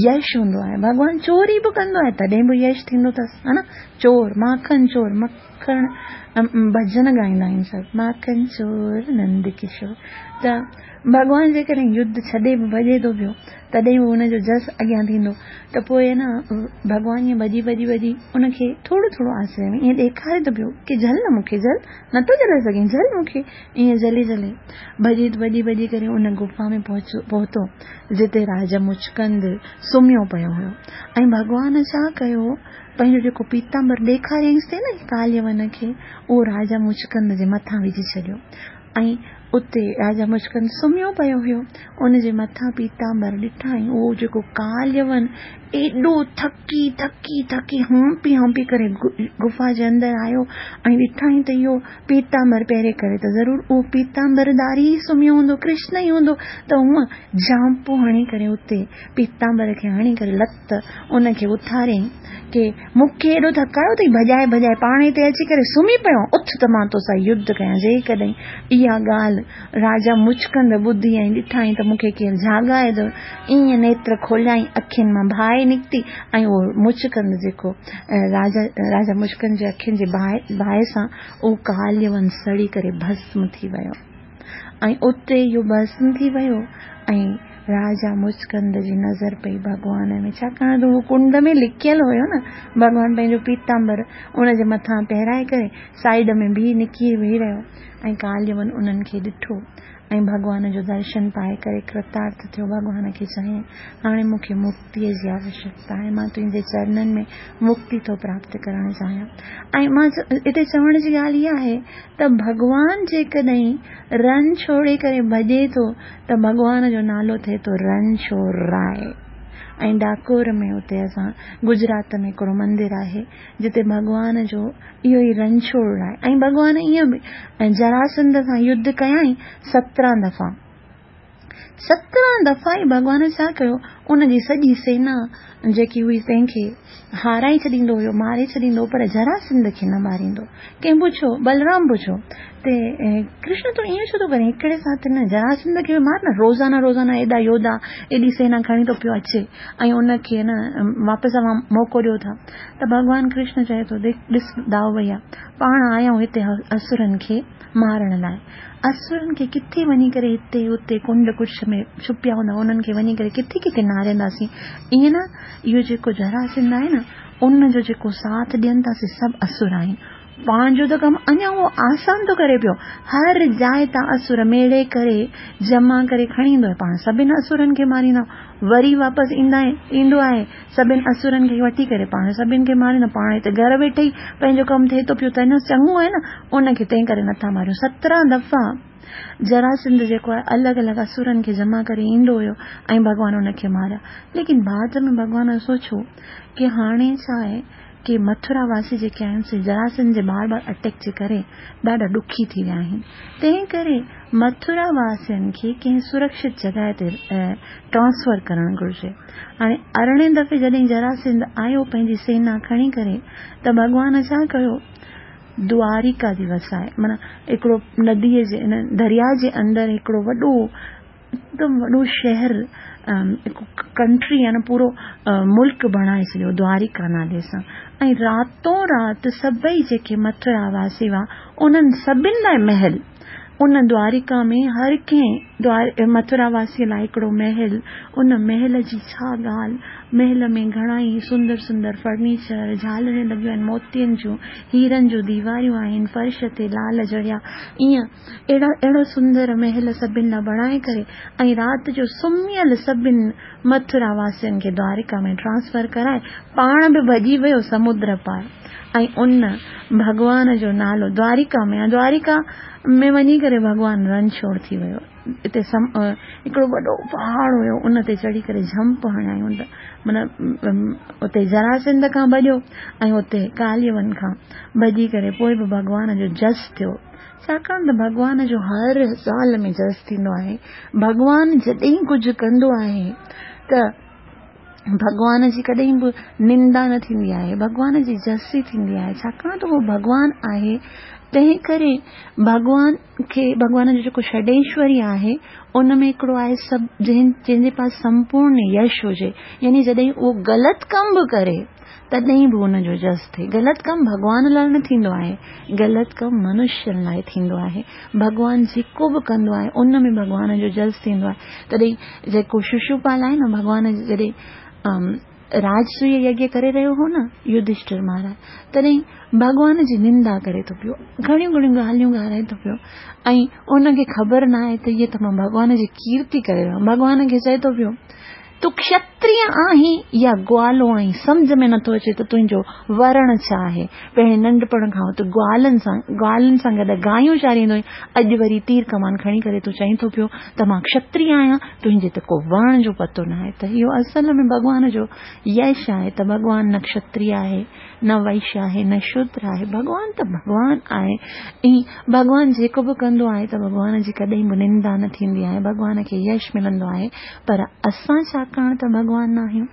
يش هوندو آهي. ڀڳوان چوري به ڪندو آهي تڏهن به يش ٿيندو اٿس، ها نه؟ چور، ماکن چور، مکڻ ڀڄن ڳائيندا آهن سڀ، ماکن چور نند ڪشور. ته ڀڳوان جيڪڏهن يڌ ڇڏي به ڀڄي ٿو پيو تڏهن به ان جو جس اڳيان ٿيندو. ته پوءِ نه ڀڳوان ائين ڀڄي ڀڄي ڀڄي ان کي ٿورو ٿورو آسري ۾ ائين ڏيکاري ٿو پيو ڪه جهل نه مون کي، جهل نٿو جهلي سگهين، جهل مون کي. ائين جهلي جهلي ڀڄي ڀڄي ڀڄي ڪري ان گفا ۾ پهتو جتي راجا مچڪند سمهيو پيو هيو. ۽ ڀڳوان ڇا ڪيو، پنهنجو جيڪو پيتامبر ڏيکاريائينس ٿي نه ڪاليون کي، اهو راجا مچڪند جي مٿان وجهي ڇڏيو. ۽ اتي راجا مچڪند سمهيو پيو هيو، ان جي مٿان پيتامبر ڏٺائين. اهو جيڪو ڪاليون ايڏو ٿڪي ٿڪي ٿڪي هانپي هانپي ڪري گفا جي اندر آيو ۽ ڏٺائين ته اهو پيتامبر پهري ڪري ته ضرور اهو پيتامبرداري ئي سمهيو هوندو، ڪرشن ئي هوندو. ته هونئن جهانپو هڻي ڪري اتي پيتامبر کي هڻي ڪري لت ان کي اٿاريائين ڪه مون کي ايڏو ٿڪايو اٿئي، ڀڄائي ڀڄائي پاڻ هتي اچي ڪري سمهي پيو، اٿ ته مان تو سان يڌ ڪيان. جيڪڏهن اها ڳالهه راجا مچڪند ٻڌي ۽ ڏٺائين ته مون کي ڪير جاڳائي ٿو، ائين نيتر کوليائين، اکين مان باهه نڪتي ۽ اهو مچڪند جيڪو راجا راجا مچڪند جي اکين جي باهه باهه سان اهو ڪاليون سڙي ڪري ڀسم ٿي ويو. ۽ اتي اهو ڀسم ٿي ويو ۽ راجا مچڪند جي نظر پئي ڀڳوان ۾، ڇاڪاڻ ته اهو ڪنڊ ۾ لڪيل هيو نه. ڀڳوان پنهنجو پيتامبر ان جي مٿان پهرائي ڪري سائيڊ ۾ بيهي نڪي ويهي رهيو ۽ ڪاليون انهن کي ڏٺو ۽ ڀڳوان جو درشن پائي ڪري ڪرتارٿ ٿيو. ڀڳوان کي چيائين، هاڻي مون کي مڪتيءَ جي آوشيڪتا آهي، مان تنهنجي چرنن ۾ مڪتي ٿو پراپت ڪرڻ چاهيان. ۽ مان هتي چوڻ جي ڳالهه اها آهي ته ڀڳوان جيڪڏهن رن ڇوڙي ڪري ڀڄي ٿو ته ڀڳوان جو نالو ٿئي ٿو رن ڇوڙ راءِ. ۽ ڊاڪور ۾ اتي اسان گجرات ۾ هڪڙو مندر آهي جتي ڀڳوان جو اهو ئي رنڇوڙ آهي. ۽ ڀڳوان ائين به جراسنڌ سان يڌ ڪيائين سترهن دفعا، سترهن دفعا ئي ڀڳوان ڇا ڪيو، ان جي سڄي سينا جيڪي هئي تنهن کي هارائي ڇڏيندو هيو، ماري ڇڏيندو، پر جراسنڌ کي نه ماريندو. ڪنهن پڇيو، بلرام پڇيو ته ڪرشن تون ائين ڇو ٿو ڪرين، هڪڙي ساٿ نه جراسنڌ کي به مار نه، روزانه روزانه ايڏا يوڌا ايڏي سينا کڻي ٿو پيو اچي ۽ ان کي نه واپس اوهان موقعو ڏيو ٿا. ته ڀڳوان ڪرشن چئي ٿو، ڏس دائو ڀئيا، پاڻ آيا آهيون هتي اسرن کي مارڻ لاءِ، اسرن کي ڪٿي وڃي ڪري هتي هتي ڪنڊ ڪڇ ۾ ڇپيا هوندا انهن کي وڃي ڪري ڪٿي ڪٿي نارينداسين. ائين نه اهو جيڪو جراسنڌ آهي نه ان جو جيڪو ساٿ ڏين ٿا سي سڀ اسر آهن. پنهنجو ته ڪم اڃا اهو آسان ٿو ڪري پيو، هر جاءِ تان اسر ميڙي ڪري جمع ڪري کڻي ايندو آهي، پاڻ سڀني اسرن کي ماريندا، وري واپس ايندا ايندو آهي سڀني اسرن کي وٺي ڪري پاڻ سڀني کي ماريندا. پاڻ هتي گهر ويٺي ئي پنهنجو ڪم ٿئي ٿو پيو ته اڃا چڱو آهي نه، ان کي تنهن ڪري نٿا ماريون. سترهن دفعا جراسنڌ جيڪو آهي الڳ الڳ اسرن کي جمع ڪري ايندو هيو ۽ ڀڳوان ان کي ماريا. ليڪن بعد ۾ ڀڳوان سوچيو ڪه هاڻي ڇا آهي ڪه مٿرا واسي جيڪي آهن سي جراسنڌ جي بار بار اٽيڪ جي ڪري ڏاڍا ڏکي ٿي ويا آهن، تنهن ڪري مٿرا واسين کي ڪنهن سرڪشت جڳهه تي ٽرانسفر ڪرڻ گهرجي. هاڻي ارڙهين دفعي جڏهن جراسنڌ آيو پنهنجي سينا کڻي ڪري ته ڀڳوان ڇا ڪيو، دوارڪا جي وسائي، معنيٰ هڪڙو نديءَ جي دريا جي اندر هڪڙو وڏو هڪدم وڏو شهر ڪنٽري يعني پورو ملڪ بڻائي ڇڏيو دوارڪا نالي سان. ۽ راتو رات سڀئي جيڪي مٿرا واسي هئا انهن سڀني لاءِ محل، ان دوارڪا ۾ هر ڪنهن مٿرا واسيءَ لاءِ هڪڙو محل، ان محل جي ڇا ڳالهه، محل ۾ گهڻا ئي سندر سندر فرنيچر، جهالريون لڳيون آهن موتين جون، هيرن جون ديواريون آهن، فرش تي لال جڙيا، ائين اهڙا اهڙو سندر محل سڀني لاءِ بڻائي ڪري ۽ رات جو سمهيل سڀني مٿرا واسين کي دوارڪا ۾ ٽرانسفر ڪرائي پاڻ به ڀڄي ويو سمدر پار. ۽ ان ڀڳوان جو نالو دوارڪا ۾ دوارڪا ۾ وڃي ڪري ڀڳوان رنڇوڙ ٿي ويو. هتي هڪڙو وڏو پهاڙ هيو ان تي چڙهي ڪري جهمپ هڻايون ته معنيٰ اتي جراسنڌ کان ڀڄيو ۽ اتي ڪاليون کان ڀڄي ڪري پوءِ به ڀڳوان جو جس ٿيو. ڇاڪاڻ ته ڀڳوان جو هر سال ۾ جس ٿيندو آهي. ڀڳوان جڏهن ڪجهه ڪندو آهي ته ڀڳوان جي ڪڏهن به نندا نه ٿيندي آهي، ڀڳوان جي جس ئي ٿيندي آهي. ڇاڪاڻ ته اهو ڀڳوان آهي تنهن ڪري ڀڳوان کي، ڀڳوان جو جيڪو षڊيشوري آهي ان ۾ هڪڙو آهي سڀ جنهن جنهن جي پاس سمپورڻ يش هجي، يعني جڏهن اهو غلط ڪم به ڪري تڏهن به ان جو جس ٿئي. غلط ڪم ڀڳوان لاءِ نه ٿيندو آهي، غلط ڪم منشين لاءِ ٿيندو آهي. ڀڳوان جيڪو به ڪندو آهي ان ۾ ڀڳوان جو جس ٿيندو آهي. تڏهن جيڪو ششوپال آهي نه، ڀڳوان جڏهن راجسويه يگيه ڪري رهيو هو نه يڌشٺر مهاراج، تڏهن ڀڳوان جي نندا ڪري ٿو پيو، گهڻيون گهڻيون ڳالهيون ڳالهائي ٿو پيو ۽ ان کي خبر نه آهي ته هيءَ ته مان ڀڳوان جي ڪيرتي ڪري رهيو آهيان. ڀڳوان کي چئي ٿو پيو تون کشتريه آهين يا گوالو آهين، سمجهه ۾ نٿو اچي ته تنهنجو ورڻ ڇا آهي. پهرين ننڍپڻ کان تون گوالن سان گوالن سان گڏ گايون چاريندو آهين، اڄ وري تير ڪمان کڻي ڪري تون چئين ٿو پيو ته مان کشتريه آهيان، تنهنجي ته ڪو ورڻ جو پتو نه آهي. ته اهو اصل ۾ ڀڳوان جو يش آهي ته ڀڳوان نه کشتريه آهي، نه وئشيه آهي، نه شودر آهي، ڀڳوان ته ڀڳوان آهي. ۽ ڀڳوان جيڪو به ڪندو آهي ته ڀڳوان جي ڪڏهن به نندا نه ٿيندي آهي، ڀڳوان کي يش ملندو آهي. پر اسان ڇاڪاڻ ته ڀڳوان نه آهيون،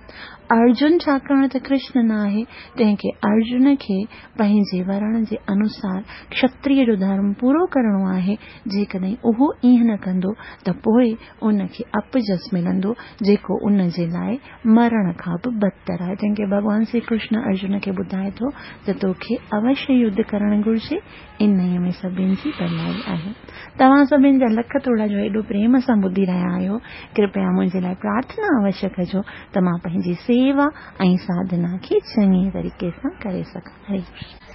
ارجن ڇاڪاڻ ته ڪرشن نه آهي، تنهن کي ارجن کي پنهنجي ورڻ جي انوسار کشتريه جو ڌرم پورو ڪرڻو آهي. جيڪڏهن اهو ائين نه ڪندو ته پوءِ ان کي اپجس ملندو، جيڪو ان جي لاءِ مرڻ کان به بدتر آهي. تنهن کي ڀڳوان شري ڪرشن ارجن کي ٻڌائي ٿو ته توکي اوشيه يڌ ڪرڻ گهرجي، انهيءَ ۾ سڀني جي ڀلائي آهي. توهان سڀني جا لک ٿورا جو ايڏو پريم سان ٻڌي رهيا آهيو. ڪرپيا منهنجي لاءِ پرارٿنا اوشيه ڪجو ته مان پنهنجي سيوا ۽ ساڌنا کي چڱي طريقي سان ڪري سگهان. هري ڪرشن.